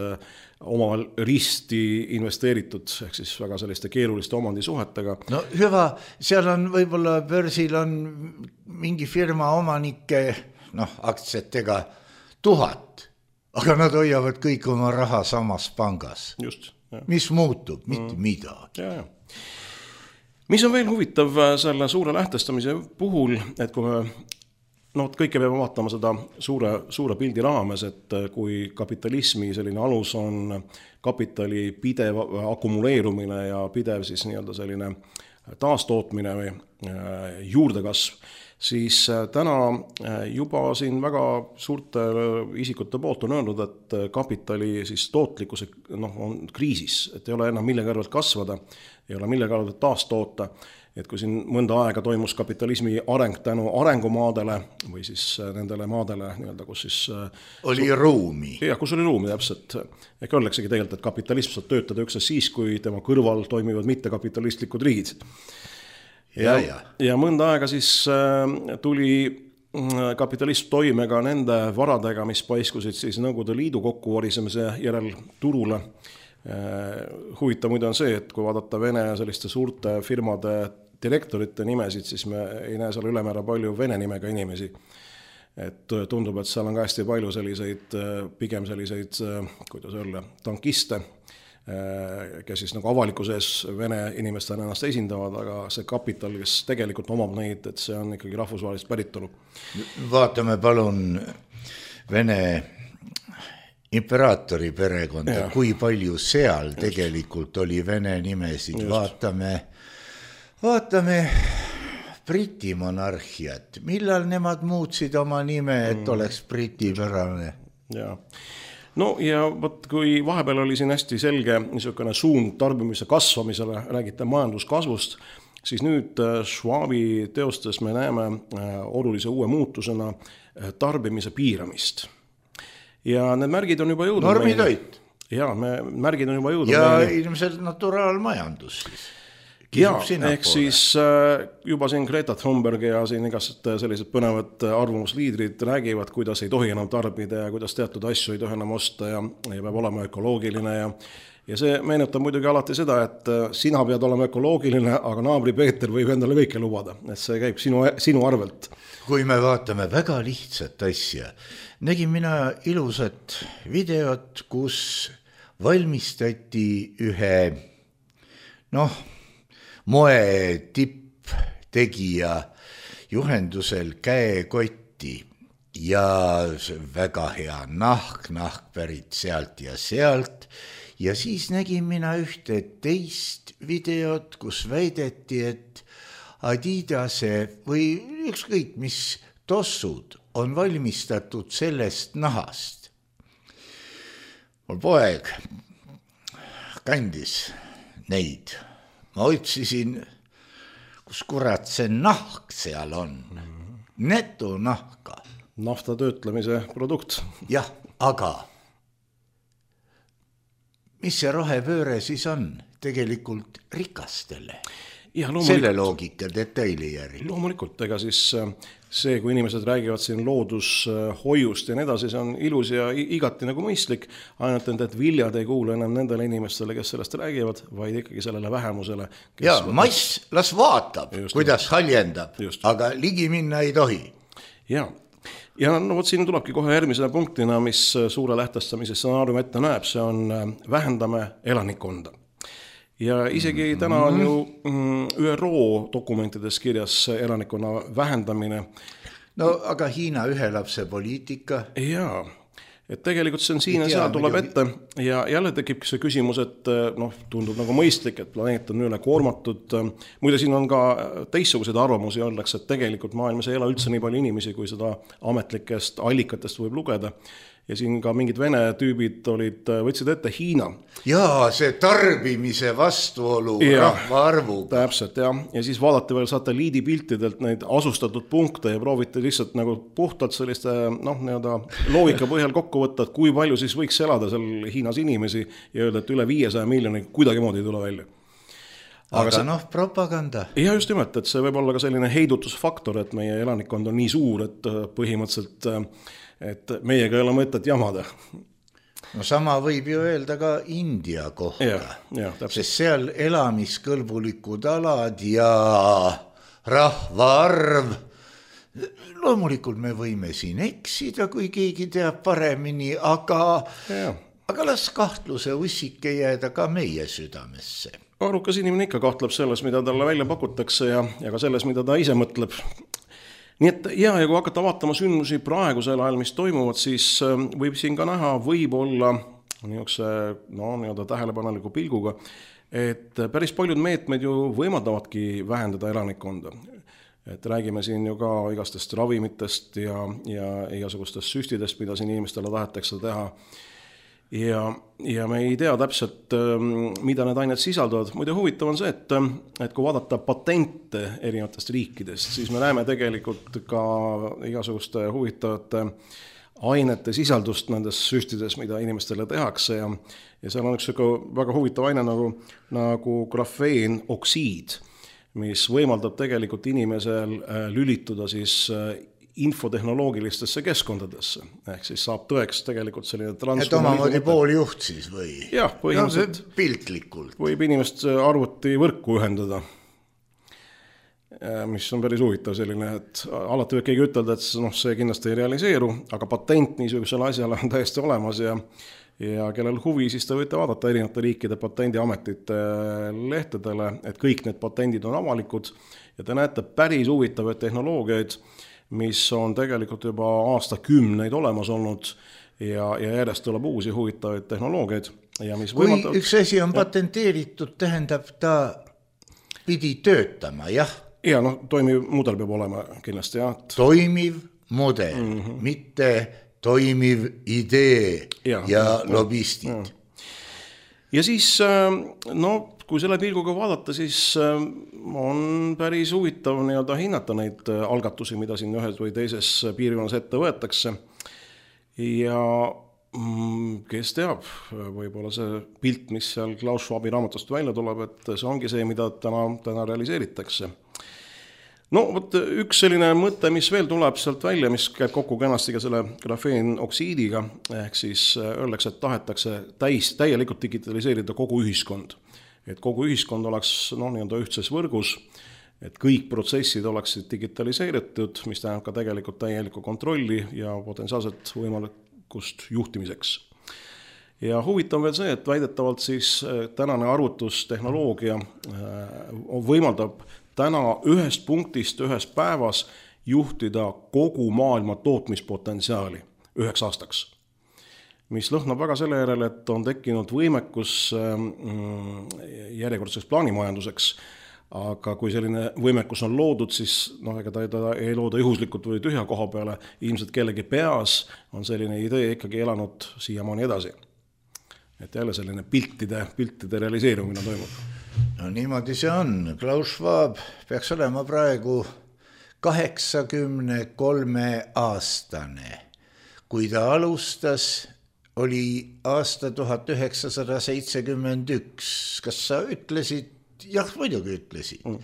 Speaker 3: omavahel risti investeeritud, ehk siis väga selliste keeruliste omandisuhetega.
Speaker 2: No hüva, seal on võib-olla börsil on mingi firma omanike, noh, aktsiatega tuhat, aga nad hoiavad kõik oma raha samas pangas.
Speaker 3: Just.
Speaker 2: Ja. Mis muutub? Mitte mm. midagi.
Speaker 3: Ja, ja. Mis on veel huvitav selle suure lähtestamise puhul, et kui me no kõike peame vaatama seda suure, suure pildi raames, et kui kapitalismi selline alus on kapitali pidev akumuleerumine ja pidev siis nii-öelda selline taastootmine või juurdekasv, siis täna juba siin väga suurte isikute poolt on öelnud, et kapitali siis tootlikkuse noh, on kriisis, et ei ole enam millega arvelt kasvada, ei ole millega arvelt taastoota. Et kui siin mõnda aega toimus kapitalismi areng tänu arengumaadele või siis nendele maadele, nii-öelda, kus siis...
Speaker 2: Oli su- ruumi.
Speaker 3: Jah, kus oli ruumi täpselt. Ehk öelleksegi tegelikult, et kapitalism saab töötada üksnes siis, kui tema kõrval toimivad mittekapitalistlikud riigid. Ja, ja, ja. ja mõnda aega siis tuli kapitalism toime ka nende varadega, mis paiskusid siis Nõukogude Liidu kokkuvarisemise järel turule. Huvitav muide on see, et kui vaadata Vene selliste suurte firmade direktorite nimesid, siis me ei näe seal ülemäära palju vene nimega inimesi. Et tundub, et seal on ka hästi palju selliseid, pigem selliseid, kuidas öelda, tankiste, kes siis nagu avalikuses vene inimestena ennast esindavad, aga see kapital, kes tegelikult omab neid, et see on ikkagi rahvusvahelist päritolu.
Speaker 2: Vaatame palun Vene imperaatori perekonda, ja. Kui palju seal just. Tegelikult oli vene nimesid, just. vaatame, vaatame Briti monarhiat, millal nemad muutsid oma nime, et mm. oleks britipärane.
Speaker 3: Ja. No ja võt, kui vahepeal oli siin hästi selge niisugune suund tarbimise kasvamisele, räägite majanduskasvust, siis nüüd Schwabi teostes me näeme olulise uue muutusena tarbimise piiramist. Ja need märgid on juba jõudnud.
Speaker 2: Normitoit.
Speaker 3: Ja, me, märgid on juba jõudnud.
Speaker 2: Ja meile. Ilmselt naturaalmajandus.
Speaker 3: Ja, ehk siis juba siin Greta Thunberg ja siin igast sellised põnevad arvamusliidrid räägivad, kuidas ei tohi enam tarbida ja kuidas teatud asju ei tohi enam osta ja, ja peab olema ökoloogiline ja Ja see meenutab muidugi alati seda, et sina pead olema ökoloogiline, aga naabri Peeter võib endale kõike lubada. Et see käib sinu, sinu arvelt.
Speaker 2: Kui me vaatame väga lihtsat asja, nägin mina ilusat videot, kus valmistati ühe noh, moe tipptegija juhendusel käekotti ja väga hea nahk, nahk pärit sealt ja sealt. Ja siis nägin mina ühte teist videot, kus väideti, et Adidase või ükskõik mis tossud on valmistatud sellest nahast. Mul poeg kandis neid. Ma otsisin, kus kurat see nahk seal on. Neto nahka.
Speaker 3: nafta töötlemise produkt.
Speaker 2: jah, aga mis see rohepööre siis on tegelikult rikastele?
Speaker 3: Ja,
Speaker 2: selle loogika detaili järgi.
Speaker 3: Loomulikult, ega siis see, kui inimesed räägivad siin loodushoiust ja nii edasi, see on ilus ja igati nagu mõistlik, ainult et viljad ei kuule enam nendele inimestele, kes sellest räägivad, vaid ikkagi sellele vähemusele.
Speaker 2: Ja mass las vaatab, just, kuidas haljendab, just. Aga ligi minna ei tohi.
Speaker 3: Ja, ja no vot siin tulebki kohe järgmisele punktina, mis suure lähtestamise stsenaarium ette näeb, see on vähendame elanikkonda. Ja isegi täna on ju Ü R O dokumentides kirjas elanikkonna vähendamine.
Speaker 2: No aga Hiina ühe lapse poliitika.
Speaker 3: Jaa, et tegelikult see on siin ja seal tuleb ette ja jälle tekib see küsimus, et noh, tundub nagu mõistlik, et planeet on üle koormatud. Muide, siin on ka teistsugused arvamusi öeldakse, et tegelikult maailmas ei ela üldse nii palju inimesi, kui seda ametlikest allikatest võib lugeda. Ja siin ka mingid vene tüübid olid, võtsid ette Hiina.
Speaker 2: Jaa, see tarbimise vastuolu ja, rahva arvuga.
Speaker 3: Täpselt, jah. Ja siis vaadati veel satelliidipiltidelt neid asustatud punkte ja prooviti lihtsalt nagu puhtalt selliste noh, nii-öelda loogika põhjal kokku võtta, et kui palju siis võiks elada seal Hiinas inimesi ja öelda, et üle viiesaja miljoni kuidagi moodi ei tule välja.
Speaker 2: Aga, aga see, noh, propaganda.
Speaker 3: Ja just nimelt, et see võib olla ka selline heidutusfaktor, et meie elanikkond on nii suur, et põhimõtteliselt et meiega ei ole mõtet jamada.
Speaker 2: No sama võib ju öelda ka India kohta,
Speaker 3: ja, ja,
Speaker 2: sest seal elamiskõlbulikud alad ja rahvaarv. Loomulikult me võime siin eksida, kui keegi teab paremini, aga, aga las kahtluse ussike jääda ka meie südamesse.
Speaker 3: Arukas inimene ikka kahtleb selles, mida talle välja pakutakse ja, ja ka selles, mida ta ise mõtleb. Nii et ja, ja kui hakata vaatama sündmusi praegusel ajal, mis toimuvad, siis võib siin ka näha võib-olla niisuguse no, nii-öelda tähelepaneliku pilguga, et päris paljud meetmed ju võimaldavadki vähendada elanikkonda. Et räägime siin ju ka igastest ravimitest ja, ja igasugustest süstidest, mida siin inimestele tahetakse teha. Ja, ja me ei tea täpselt, mida need ained sisaldavad. Muide huvitav on see, et, et kui vaadata patente erinevatest riikidest, siis me näeme tegelikult ka igasuguste huvitavate ainete sisaldust nendes süstides, mida inimestele tehakse. Ja, ja seal on üks väga huvitav aine nagu, nagu grafeenoksiid, mis võimaldab tegelikult inimesel lülituda siis infotehnoloogilistesse keskkondadesse. Ehk siis saab tõeks tegelikult selline
Speaker 2: et omamoodi pooljuht siis või?
Speaker 3: Jah, põhimõtteliselt
Speaker 2: no, piltlikult.
Speaker 3: Võib inimest arvuti võrku ühendada, mis on päris huvitav selline, et alati võib keegi ütelda, et no, see kindlasti ei realiseeru, aga patent niisugusele asjale on täiesti olemas ja ja kellel huvi, siis te võite vaadata erinevate riikide patendiametite lehtedele, et kõik need patendid on avalikud ja te näete päris huvitavaid tehnoloogiaid, mis on tegelikult juba aastakümneid olemas olnud ja, ja järjest tuleb uusi huvitavaid tehnoloogiaid. Ja mis
Speaker 2: kui
Speaker 3: võimaldab...
Speaker 2: üks asi on patenteeritud, tähendab ta pidi töötama, jah?
Speaker 3: Ja, noh, toimiv mudel peab olema kindlasti, jah. Et...
Speaker 2: Toimiv mudel, mm-hmm. mitte toimiv idee ja, ja lobistid.
Speaker 3: Ja. ja siis, no, kui selle pilguga vaadata, siis on päris huvitav nii-öelda hinnata neid algatusi, mida siin ühes või teises piirkonnas ette võetakse. Ja kes teab, võib-olla see pilt, mis seal Klaus Schwabi raamatust välja tuleb, et see ongi see, mida täna, täna realiseeritakse. No, võt, üks selline mõte, mis veel tuleb sealt välja, mis käib kokku kenasti ka selle grafeenoksiidiga, ehk siis öeldakse, et tahetakse täis, täielikult digitaliseerida kogu ühiskond. Et kogu ühiskond oleks no, nii-öelda ühtses võrgus, et kõik protsessid oleksid digitaliseeritud, mis tähendab ka tegelikult täielikku kontrolli ja potentsiaalselt võimalikust juhtimiseks. Ja huvitav veel see, et väidetavalt siis tänane arvutustehnoloogia võimaldab täna ühest punktist ühes päevas juhtida kogu maailma tootmispotentsiaali üheks aastaks. Mis lõhnab väga selle järele, et on tekkinud võimekus järjekordseks plaanimajanduseks, aga kui selline võimekus on loodud, siis no, ega ta, ta ei looda juhuslikult või tühja koha peale, ilmselt kellegi peas on selline idee ikkagi elanud siiamaani edasi. Et jälle selline piltide, piltide realiseerumine toimub.
Speaker 2: No niimoodi see on. Klaus Schwab peaks olema praegu kaheksakümne kolme aastane. Kui ta alustas, oli aasta tuhat üheksasada seitsekümmend üks. Kas sa ütlesid? Jah, muidugi ütlesid. Mm.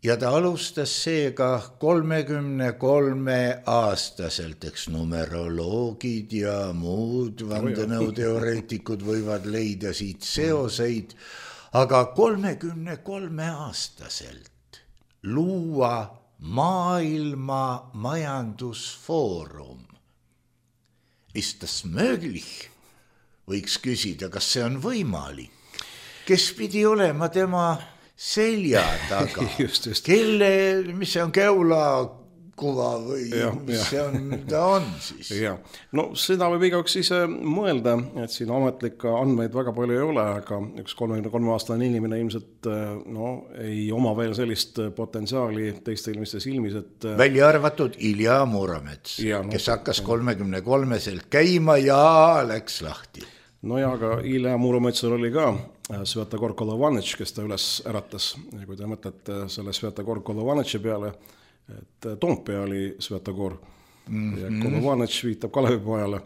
Speaker 2: Ja ta alustas seega kolmekümne kolme aastaselt, eks numeroloogid ja muud vandenõuteoreetikud võivad leida siit seoseid, aga kolmekümne kolme aastaselt luua maailma majandusfoorum. Ist das möglich? Võiks küsida, kas see on võimalik? Kes pidi olema tema selja taga? just, just. Kelle, mis see on, Keula kuva või ja, mis ja. see on, ta on siis?
Speaker 3: Ja. No seda võib igaüks ise mõelda, et siin ametlikke andmeid väga palju ei ole, aga üks kolmekümne kolme aastane inimene ilmselt no, ei oma veel sellist potentsiaali teiste inimeste silmis, et
Speaker 2: välja arvatud Ilja Muromets, ja, no, kes hakkas kolmekümne kolmeselt käima ja läks lahti.
Speaker 3: No ja, aga Ilja Murometsal oli ka Svetogor Kolovanetš, kes ta üles äratas. Ja kui te mõtlete selle Svetogor Kolovanetši peale, et Toompea oli Svetogor mm-hmm. ja Kolovanetš viitab Kalevipojale,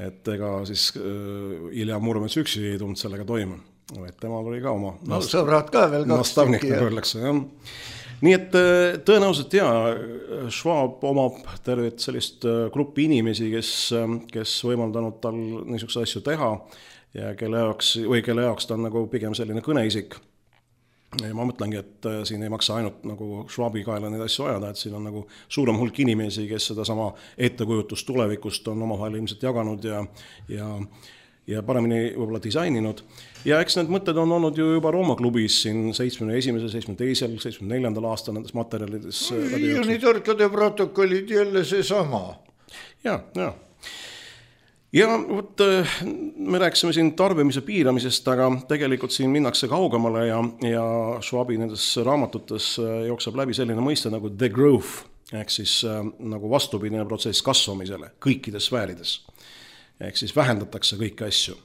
Speaker 3: et ega siis äh, Ilja Muromets üksi ei tulnud sellega toime, et temal oli ka oma
Speaker 2: no nast- sõbrad ka veel kaks
Speaker 3: tükki. Nii et tõenäoliselt ja Schwab omab tervet sellist gruppi inimesi, kes, kes võimaldanud tal niisuguse asju teha ja kelle jaoks, või kelle jaoks ta on nagu pigem selline kõneisik. Ja ma mõtlengi, et siin ei maksa ainult nagu Schwabi kaela neid asju ajada, et siin on nagu suurem hulk inimesi, kes seda sama ettekujutust tulevikust on omavahel ilmselt jaganud ja, ja, ja paremini võib-olla disaininud. Ja eks need mõtted on olnud ju juba Rooma klubis siin seitsmekümne esimesel, seitsmekümne teisel, seitsmekümne neljandal aastal nendes materjalides.
Speaker 2: Ioni torkade protokollid jälle see sama.
Speaker 3: Ja, ja. Ja võt, me rääksime siin tarbimise piiramisest, aga tegelikult siin minnakse kaugemale ja, ja Schwabi nendes raamatutes jookseb läbi selline mõiste nagu the growth, ehk siis nagu vastupidine protsess kasvamisele kõikides sfäärides. Ehk siis vähendatakse kõiki asju.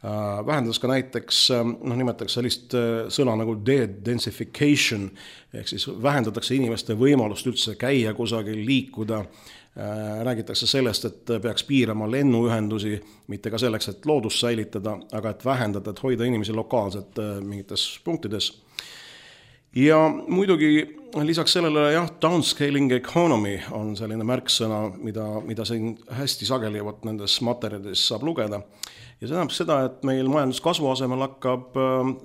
Speaker 3: Vähendades ka näiteks, noh, nimetatakse sellist sõna nagu de-densification, ehk siis vähendatakse inimeste võimalust üldse käia kusagil, liikuda. Räägitakse sellest, et peaks piirama lennuühendusi, mitte ka selleks, et loodust säilitada, aga et vähendada, et hoida inimesi lokaalselt mingites punktides. Ja muidugi lisaks sellele, jah, downscaling economy on selline märksõna, mida, mida siin hästi sageli võt nendes materjalides saab lugeda. Ja see tähendab seda, et meil majanduskasvu asemel hakkab,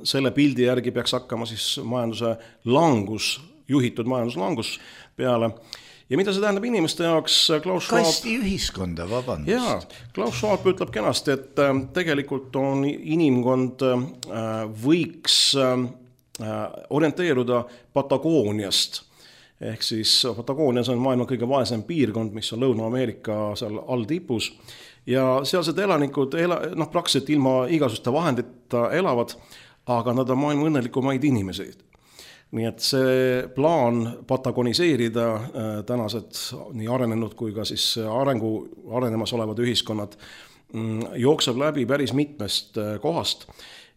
Speaker 3: selle pildi järgi peaks hakkama siis majanduse langus, juhitud majanduslangus peale. Ja mida see tähendab inimeste jaoks? Klaus Schwab...
Speaker 2: Kasti ühiskonda, vabandust.
Speaker 3: Jaa, Klaus Schwab ütleb kenasti, et tegelikult on inimkond võiks orienteeruda Patagooniast. Ehk siis Patagoonias on maailma kõige vaesem piirkond, mis on Lõuna-Ameerika seal all tipus. Ja sealsed elanikud ela, noh, praktiliselt ilma igasuste vahendita elavad, aga nad on maailma õnnelikumaid inimeseid. Nii et see plaan patagoniseerida äh, tänased nii arenenud kui ka siis arengu, arenemas olevad ühiskonnad mm, jookseb läbi päris mitmest äh, kohast.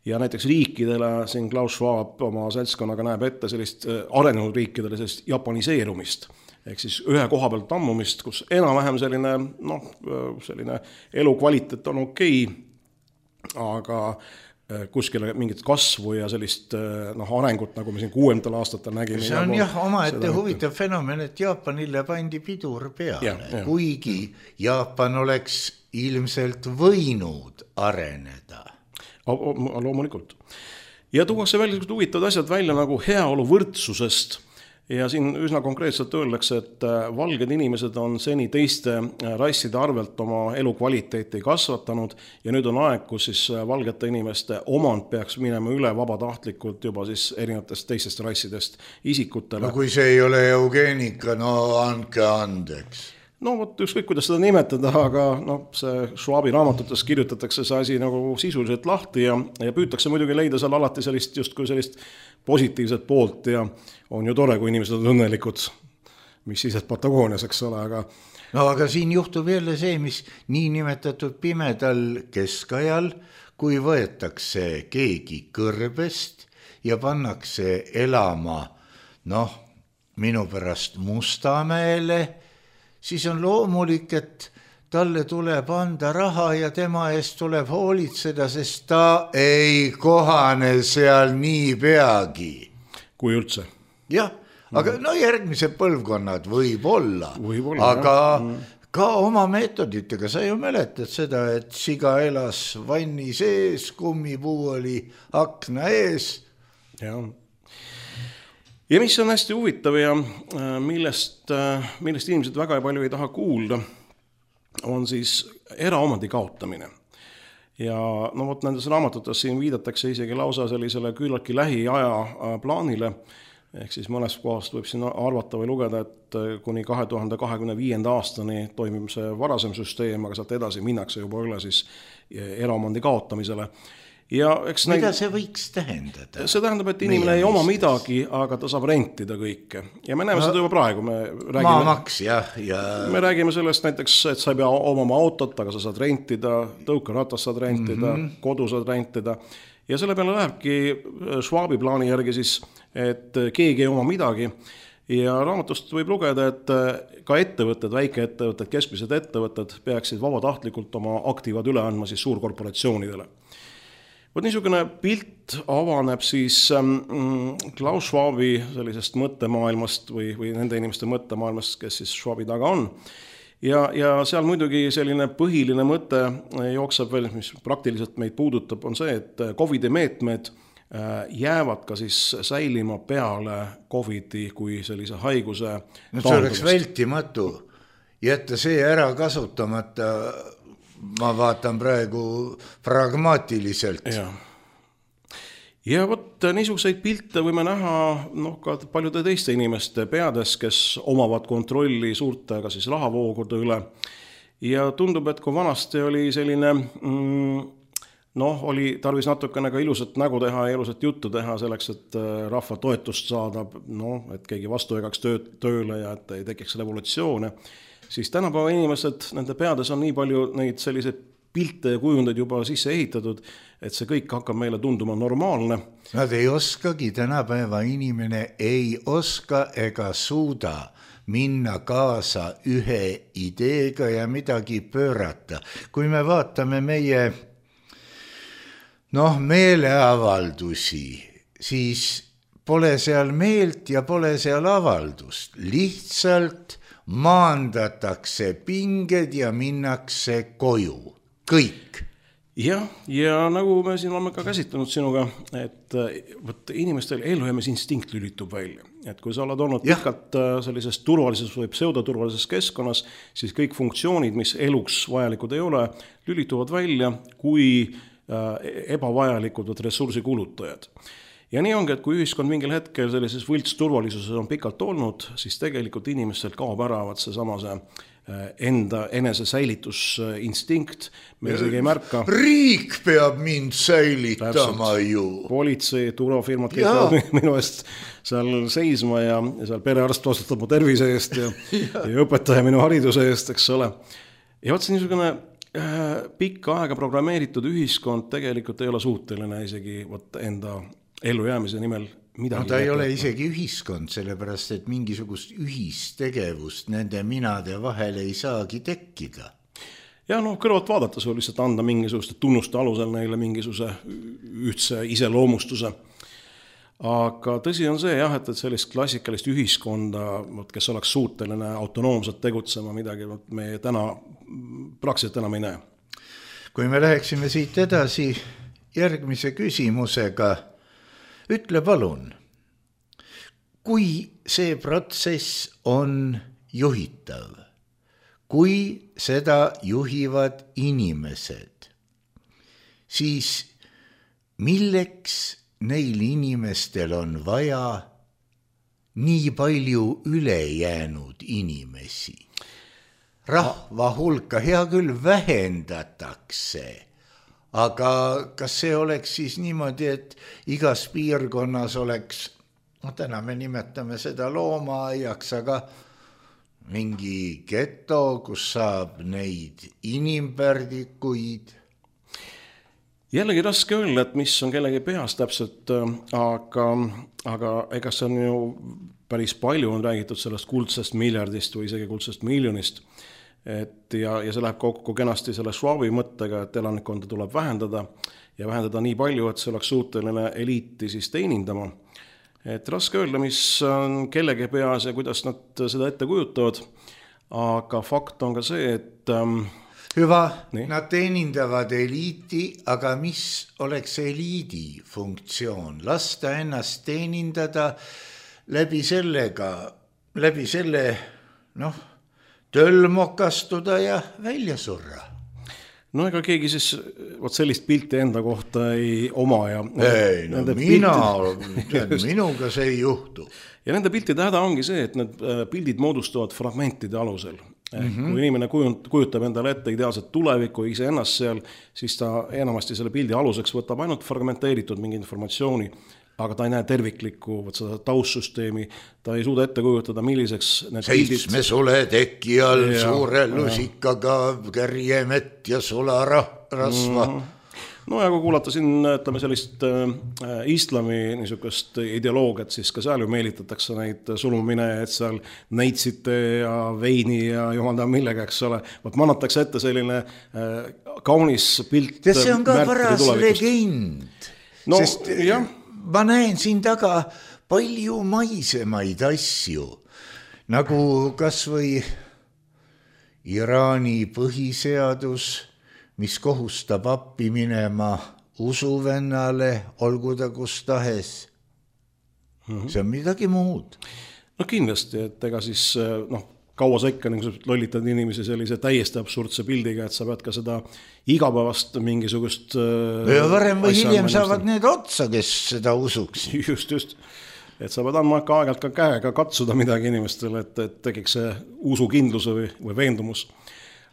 Speaker 3: Ja näiteks riikidele siin Klaus Schwab oma seltskonnaga näeb ette sellist äh, arenenud riikidele sellist japaniseerumist. Ehk siis ühe koha pealt tammumist, kus enam-vähem selline, noh, selline elukvaliteet on okei, aga kuskile mingit kasvu ja sellist noh, arengut, nagu me siin kuuendal aastatel nägime.
Speaker 2: See on jah omaette huvitav fenomen, et Jaapanile pandi pidur peale, ja, ja. Kuigi Jaapan oleks ilmselt võinud areneda.
Speaker 3: Loomulikult. Ja tuuakse välja huvitavad asjad välja nagu heaolu võrdsusest. Ja siin üsna konkreetselt öeldakse, et valged inimesed on seni teiste rasside arvelt oma elukvaliteeti kasvatanud ja nüüd on aeg, kus siis valgete inimeste omand peaks minema üle vabatahtlikult juba siis erinevatest teistest rassidest isikutele.
Speaker 2: No kui see ei ole eugeenika, no andke andeks.
Speaker 3: No võt, ükskõik kuidas seda nimetada, aga no, see Schwabi raamatutes kirjutatakse see asi nagu sisuliselt lahti ja, ja püütakse muidugi leida seal alati sellist, just kui sellist positiivset poolt ja on ju tore, kui inimesed on õnnelikud, mis siis, et Patagoonias, eks ole, aga...
Speaker 2: No aga siin juhtub jälle see, mis nii nimetatud pimedal keskajal, kui võetakse keegi kõrbest ja pannakse elama, noh, minu pärast Mustamäele, siis on loomulik, et talle tuleb anda raha ja tema eest tuleb hoolitseda, sest ta ei kohane seal nii peagi.
Speaker 3: Kui üldse.
Speaker 2: Jah, aga mm. no järgmised põlvkonnad võib olla,
Speaker 3: võib olla
Speaker 2: aga mm. ka oma meetoditega. Sa ju mäletad seda, et siga elas vanni sees, kummipuu oli akna ees.
Speaker 3: Ja. ja mis on hästi huvitav ja millest, millest inimesed väga palju ei taha kuulda, on siis eraomandi kaotamine. Ja no vot nendes raamatutes siin viidatakse isegi lausa sellisele küllaltki lähiaja plaanile, ehk siis mõnes kohast võib siin arvata või lugeda, et kuni kahe tuhande kahekümne viienda aastani toimib see varasem süsteem, aga sealt edasi minnakse juba üle siis eraomandi kaotamisele. Ja eks
Speaker 2: mida
Speaker 3: neid,
Speaker 2: see võiks tähendada?
Speaker 3: See tähendab, et inimene ei oma midagi, aga ta saab rentida kõike. Ja me näeme no, seda juba praegu. Me räägime,
Speaker 2: maamaks, jah. Ja...
Speaker 3: me räägime sellest näiteks, et sa ei pea omama autot, aga sa saad rentida, tõukeratas saad rentida, mm-hmm. kodu saad rentida. Ja selle peale lähebki Schwabi plaani järgi siis, et keegi ei oma midagi. Ja raamatust võib lugeda, et ka ettevõtted, väikeettevõtted, keskmised ettevõtted peaksid vabatahtlikult oma aktiivad üle andma siis suurkorporatsioonidele. Võt niisugune pilt avaneb siis Klaus Schwabi sellisest mõttemaailmast või, või nende inimeste mõttemaailmast, kes siis Schwabi taga on. Ja, ja seal muidugi selline põhiline mõte jookseb veel, mis praktiliselt meid puudutab, on see, et Covidi meetmed jäävad ka siis säilima peale Covidi kui sellise haiguse
Speaker 2: no, see oleks vältimatu jätta see ära kasutamata. Ma vaatan praegu pragmaatiliselt.
Speaker 3: Ja, ja võt niisuguseid pilte võime näha noh, ka paljude teiste inimeste peades, kes omavad kontrolli suurte ka siis rahavoogude üle. Ja tundub, et kui vanasti oli selline, mm, noh, oli tarvis natukene ka ilusat nägu teha ja ilusat juttu teha selleks, et rahva toetust saada, noh, et keegi vastu egaks tööd, tööle ja et ei tekiks revolutsioone. Siis tänapäeva inimesed, nende peades on nii palju neid selliseid pilte ja kujundeid juba sisse ehitatud, et see kõik hakkab meile tunduma normaalne.
Speaker 2: Nad ei oskagi, tänapäeva inimene ei oska ega suuda minna kaasa ühe ideega ja midagi pöörata. Kui me vaatame meie noh, meeleavaldusi, siis pole seal meelt ja pole seal avaldust. Lihtsalt maandatakse pinged ja minnakse koju. Kõik.
Speaker 3: Ja, ja nagu me siin oleme ka käsitlenud sinuga, et võt, inimestel elujäämisinstinkt lülitub välja. Et kui sa oled olnud pikalt sellises turvalises või pseudoturvalises keskkonnas, siis kõik funktsioonid, mis eluks vajalikud ei ole, lülituvad välja kui ebavajalikud või ressursi kulutajad. Ja nii ongi, et kui ühiskond mingil hetkel sellises võlts turvalisuses on pikalt olnud, siis tegelikult inimestelt kaob ära see sama see enda enese säilitusinstinkt. Me isegi ei märka.
Speaker 2: Riik peab mind säilitama ju.
Speaker 3: Politsei, turvafirmad kõik minu eest seal seisma ja, ja seal perearst vastutab mu tervise eest ja, ja õpetaja minu hariduse eest, eks ole. Ja võt see niisugune äh, pikka aega programmeeritud ühiskond tegelikult ei ole suuteline isegi võt enda ellujäämise nimel midagi.
Speaker 2: No ta ei ole isegi ühiskond, sellepärast, et mingisugust ühistegevust nende minade vahel ei saagi tekkida.
Speaker 3: Ja noh, kõrvalt vaadates või lihtsalt anda mingisuguste tunnuste alusel neile mingisuguse ühtse iseloomustuse. Aga tõsi on see jah, et sellist klassikalist ühiskonda, kes oleks suuteline autonoomselt tegutsema midagi, me täna praktiliselt enam ei näe.
Speaker 2: Kui me läheksime siit edasi järgmise küsimusega, ütle palun, kui see protsess on juhitav, kui seda juhivad inimesed, siis milleks neil inimestel on vaja nii palju ülejäänud inimesi? Rahva hulka hea küll vähendatakse, aga kas see oleks siis niimoodi, et igas piirkonnas oleks, no täna me nimetame seda loomaaiaks, aga mingi geto, kus saab neid inimpärdikuid?
Speaker 3: Jällegi raske öelda, et mis on kellegi peas täpselt, aga, aga ega see on ju päris palju on räägitud sellest kuldsest miljardist või isegi kuldsest miljonist, et ja, ja see läheb kokku kenasti selle Schwabi mõttega, et elanikkonda tuleb vähendada ja vähendada nii palju, et see oleks suuteline eliiti siis teenindama. Et raske öelda, mis on kellegi peas ja kuidas nad seda ette kujutavad, aga fakt on ka see, et ähm,
Speaker 2: hüva,
Speaker 3: nii.
Speaker 2: Nad teenindavad eliiti, aga mis oleks eliidi funktsioon? Lasta ennast teenindada läbi sellega, läbi selle, noh, tölmokastuda ja välja surra.
Speaker 3: No ega keegi siis võt sellist pilti enda kohta ei oma ja
Speaker 2: ei, no mina, piltid... minuga see ei juhtu.
Speaker 3: Ja nende piltide häda ongi see, et need pildid moodustuvad fragmentide alusel. Mm-hmm. Kui inimene kujutab endale ette ideaalset tulevikku ja ise ennast seal, siis ta enamasti selle pildi aluseks võtab ainult fragmenteeritud mingi informatsiooni, aga ta ei näe terviklikku võt seda taustsüsteemi, ta ei suuda ette kujutada, milliseks need
Speaker 2: seitsme
Speaker 3: pildid...
Speaker 2: sule teki all ja, suure lusikaga kärjemett ja sularasva. Mm-hmm.
Speaker 3: No ja kui kuulata siin, ütleme sellist äh, islami niisugust ideoloogiat, siis ka seal ju meelitatakse neid sulumine, et seal neitsite ja veini ja jumal teab millega, eks ole. Võt mannatakse ette selline äh, kaunis pilt.
Speaker 2: Ja see on ka paras legend.
Speaker 3: No,
Speaker 2: sest
Speaker 3: jah.
Speaker 2: Ma näen siin taga palju maisemaid asju, nagu kas või Iraani põhiseadus, mis kohustab appi minema usuvennale, olgu ta kus tahes. Mm-hmm. See on midagi muud.
Speaker 3: No kindlasti, et ega siis noh, kaua sa ikka lollitad inimesi sellise täiesti absurdse pildiga, et sa pead ka seda igapäevast mingisugust...
Speaker 2: Ja varem või hiljem saavad need otsa, kes seda usuks.
Speaker 3: Just, just. Et sa pead andma ka aegalt ka käega katsuda midagi inimestele, et, et tekiks see usukindluse või, või veendumus.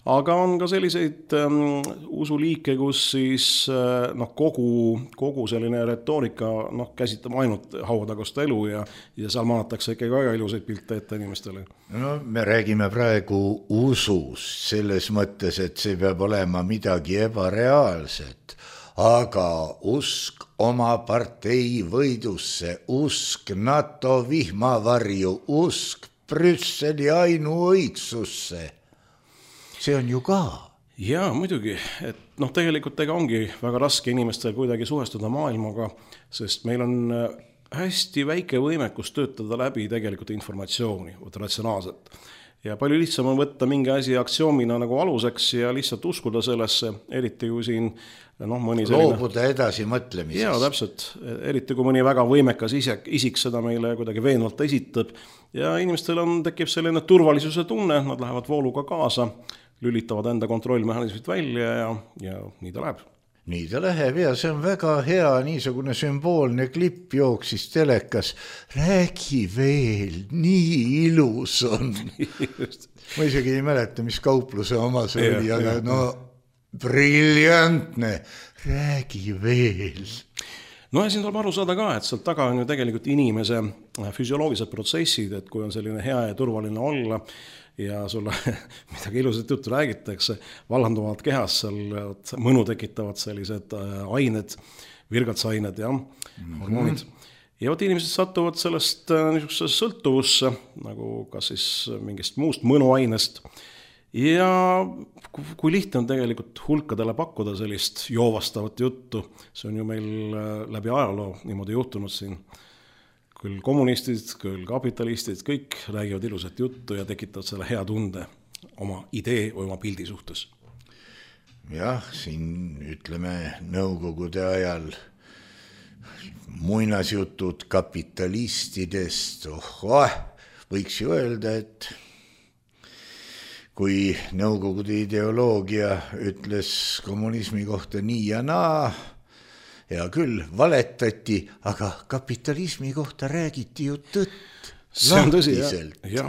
Speaker 3: Aga on ka selliseid ähm, usuliike, kus siis äh, noh, kogu, kogu selline retoorika noh, käsitab ainult hauatagust elu ja, ja seal maanatakse ikka väga ilusaid pilte ette inimestele.
Speaker 2: No me räägime praegu usust selles mõttes, et see peab olema midagi ebareaalset, aga usk oma partei võidusse, usk NATO vihmavarju, usk Brüsseli ainuõigsusse. See on ju ka.
Speaker 3: Jaa, muidugi, et noh, tegelikult ega ongi väga raske inimestel kuidagi suhestuda maailmaga, sest meil on hästi väike võimekus töötada läbi tegelikult informatsiooni, ratsionaalselt. Ja palju lihtsam on võtta mingi asi aktsioomina nagu aluseks ja lihtsalt uskuda sellesse, eriti kui siin noh, mõni selline...
Speaker 2: loobuda edasi mõtlemisest.
Speaker 3: Jaa, täpselt. Eriti kui mõni väga võimekas isik, isik seda meile kuidagi veenvalt esitab ja inimestel on, tekib selline turvalisuse tunne, nad lähevad vooluga kaasa, lülitavad enda kontrollmehhanismid välja ja, ja nii ta läheb.
Speaker 2: Nii ta läheb ja see on väga hea, niisugune sümboolne klipp jooksis telekas. Räägi veel, nii ilus on. Ma isegi ei mäleta, mis kaupluse oma see oli, aga no briljantne. Räägi veel.
Speaker 3: No ja siin tuleb aru saada ka, et sealt taga on ju tegelikult inimese füsioloogilised protsessid, et kui on selline hea ja turvaline olla, ja sulle midagi ilusat juttu räägitakse, vallanduvad kehas seal mõnu tekitavad sellised ained, virgatsained ja mm-hmm. hormoonid. Ja võt inimesed satuvad sellest niisugusesse sõltuvusse, nagu kas siis mingist muust mõnuainest. Ja kui lihtne on tegelikult hulkadele pakkuda sellist joovastavat juttu, see on ju meil läbi ajaloo niimoodi juhtunud siin. Küll kommunistid, küll kapitalistid, kõik räägivad ilusat juttu ja tekitavad selle hea tunde oma idee või oma pildi suhtes.
Speaker 2: Jah, siin ütleme nõukogude ajal muinasjutud kapitalistidest, oh, võiks ju öelda, et kui nõukogude ideoloogia ütles kommunismi kohta nii ja naa, ja küll valetati, aga kapitalismi kohta räägiti ju tõtt.
Speaker 3: See on tõsi, jah. Ja.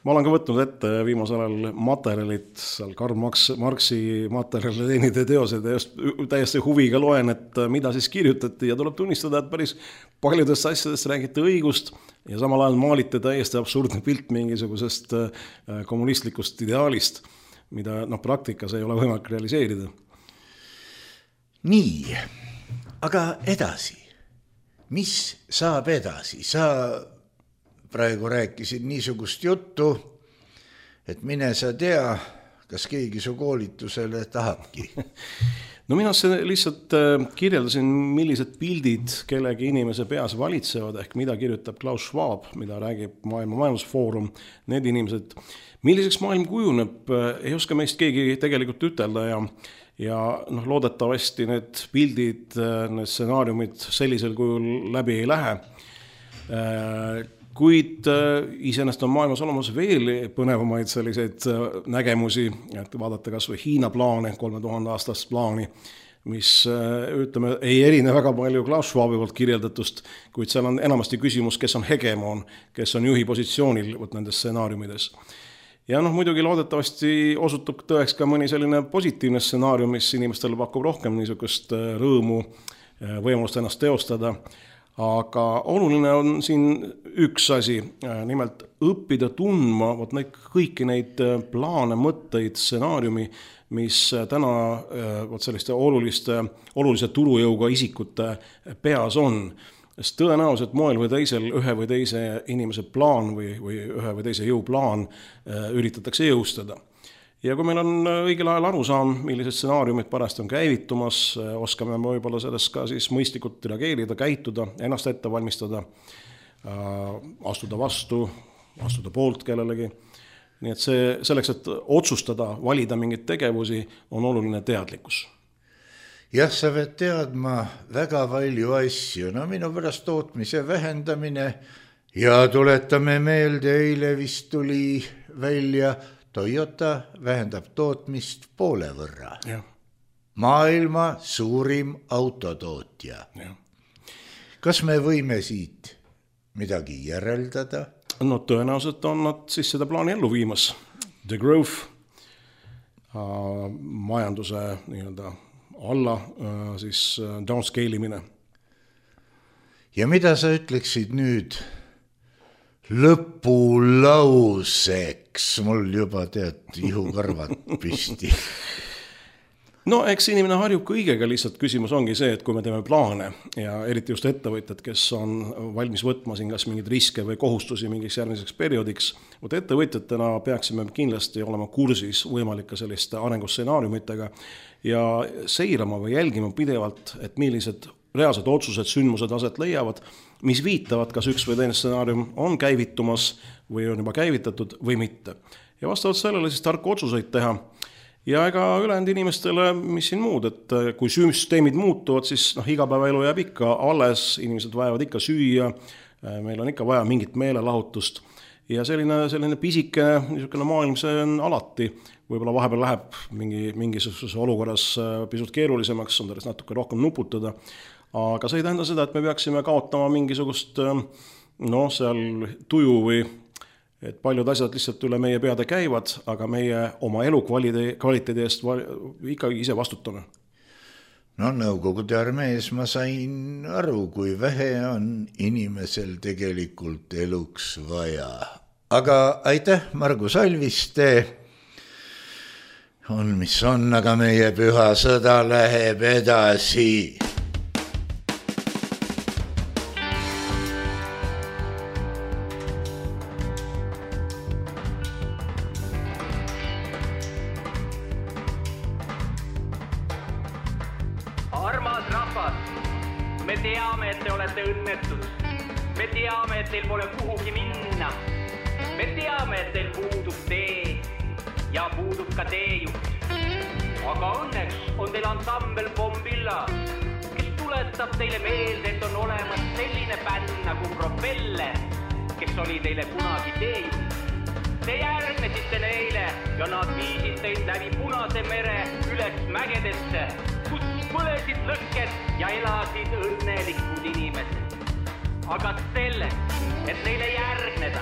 Speaker 3: Ma olen ka võtnud ette viimasel ajal materjalid, seal Karl Marxi materjalide teenide teosed ja just täiesti huviga loen, et mida siis kirjutati ja tuleb tunnistada, et päris paljudest asjadest räägiti õigust ja samal ajal maalite täiesti absurdne pilt mingisugusest kommunistlikust ideaalist, mida no, praktikas ei ole võimalik realiseerida.
Speaker 2: Nii, aga edasi. Mis saab edasi? Sa praegu rääkisid niisugust juttu, et mine sa tea, kas keegi su koolitusele tahabki.
Speaker 3: No mina lihtsalt kirjeldasin, millised pildid kellegi inimese peas valitsevad, ehk mida kirjutab Klaus Schwab, mida räägib Maailma Majandusfoorum, need inimesed. Milliseks maailm kujuneb, ei oska meist keegi tegelikult ütelda ja, ja noh, loodetavasti need pildid, need stsenaariumid sellisel kujul läbi ei lähe. Kuid iseenesest on maailmas olemas veel põnevamaid selliseid nägemusi, et vaadata kas või Hiina plaane, kolme tuhande aastast plaani, mis ütleme, ei erine väga palju Klaus Schwabi poolt kirjeldatust, kuid seal on enamasti küsimus, kes on hegemoon, kes on juhi positsioonil võt nendes stsenaariumides. Ja noh, muidugi loodetavasti osutub tõeks ka mõni selline positiivne stsenaarium, mis inimestele pakub rohkem niisugust rõõmu, võimalust ennast teostada. Aga oluline on siin üks asi, nimelt õppida tundma võt neid, kõiki neid plaane, mõtteid, stsenaariumi, mis täna võt selliste oluliste, olulise turujõuga isikute peas on. Sest tõenäoliselt moel või teisel ühe või teise inimese plaan või, või ühe või teise jõuplaan üritatakse jõustada. Ja kui meil on õigel ajal aru saam, millised stsenaariumid parajasti on käivitumas, oskame võib-olla sellest ka siis mõistlikult reageerida, käituda, ennast ette valmistada, astuda vastu, astuda poolt kellelegi. Nii et see, selleks, et otsustada, valida mingeid tegevusi, on oluline teadlikkus.
Speaker 2: Jah, sa pead teadma väga palju asju. No minu pärast tootmise vähendamine ja tuletame meelde, eile vist tuli välja Toyota vähendab tootmist poole võrra.
Speaker 3: Ja.
Speaker 2: Maailma suurim autotootja.
Speaker 3: Ja.
Speaker 2: Kas me võime siit midagi järeldada?
Speaker 3: No tõenäoliselt on nad siis seda plaani ellu viimas. The growth, äh, majanduse nii-öelda alla äh, siis downscale imine.
Speaker 2: Ja mida sa ütleksid nüüd lõpulauseks? Mul juba tead ihukarvad püsti.
Speaker 3: No eks inimene harjub kõigega, lihtsalt küsimus ongi see, et kui me teeme plaane ja eriti just ettevõtjad, kes on valmis võtma siin kas mingeid riske või kohustusi mingiks järgmiseks perioodiks, võt ettevõtjatena peaksime kindlasti olema kursis võimalike selliste arengustsenaariumitega ja seirama või jälgima pidevalt, et millised reaalsed otsused, sündmused aset leiavad, mis viitavad, kas üks või teine stsenaarium on käivitumas või on juba käivitatud või mitte. Ja vastavalt sellele siis tarku otsuseid teha. Ja ega ülejäänud inimestele, mis siin muud, et kui süsteemid muutuvad, siis noh, igapäevaelu jääb ikka alles, inimesed vajavad ikka süüa, meil on ikka vaja mingit meelelahutust. Ja selline, selline pisike niisugune maailm, see on alati. Võib-olla vahepeal läheb mingi, mingisuguses olukorras pisut keerulisemaks, on sellest natuke rohkem nuputada. Aga see ei tähenda seda, et me peaksime kaotama mingisugust no, seal tuju või et paljud asjad lihtsalt üle meie peade käivad, aga meie oma elu kvaliteedi eest ikkagi ise vastutame.
Speaker 2: No Nõukogude armees ma sain aru, kui vähe on inimesel tegelikult eluks vaja. Aga aitäh, Margus Alviste. On mis on, aga meie püha sõda läheb edasi.
Speaker 4: Aga selleks, et neile järgneda,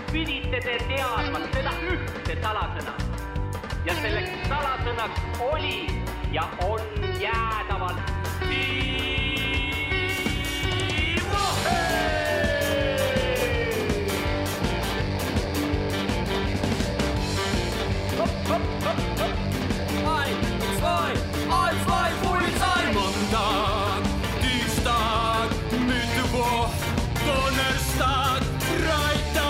Speaker 4: pidite te teadma seda ühte salasõna. Ja selleks salasõnaks oli ja on jäädavalt Timohei! Hopp, hopp, hopp, hopp! Ein, zwei, ein, zwei, Polizei! Montag, Dienstag, Mittwoch, Donnerstag, Freitag.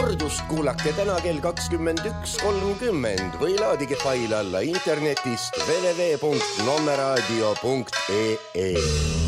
Speaker 5: kordust kuulake täna kell kakskümmend üks kolmkümmend või laadige fail alla internetist w w w punkt nommeraadio punkt e e.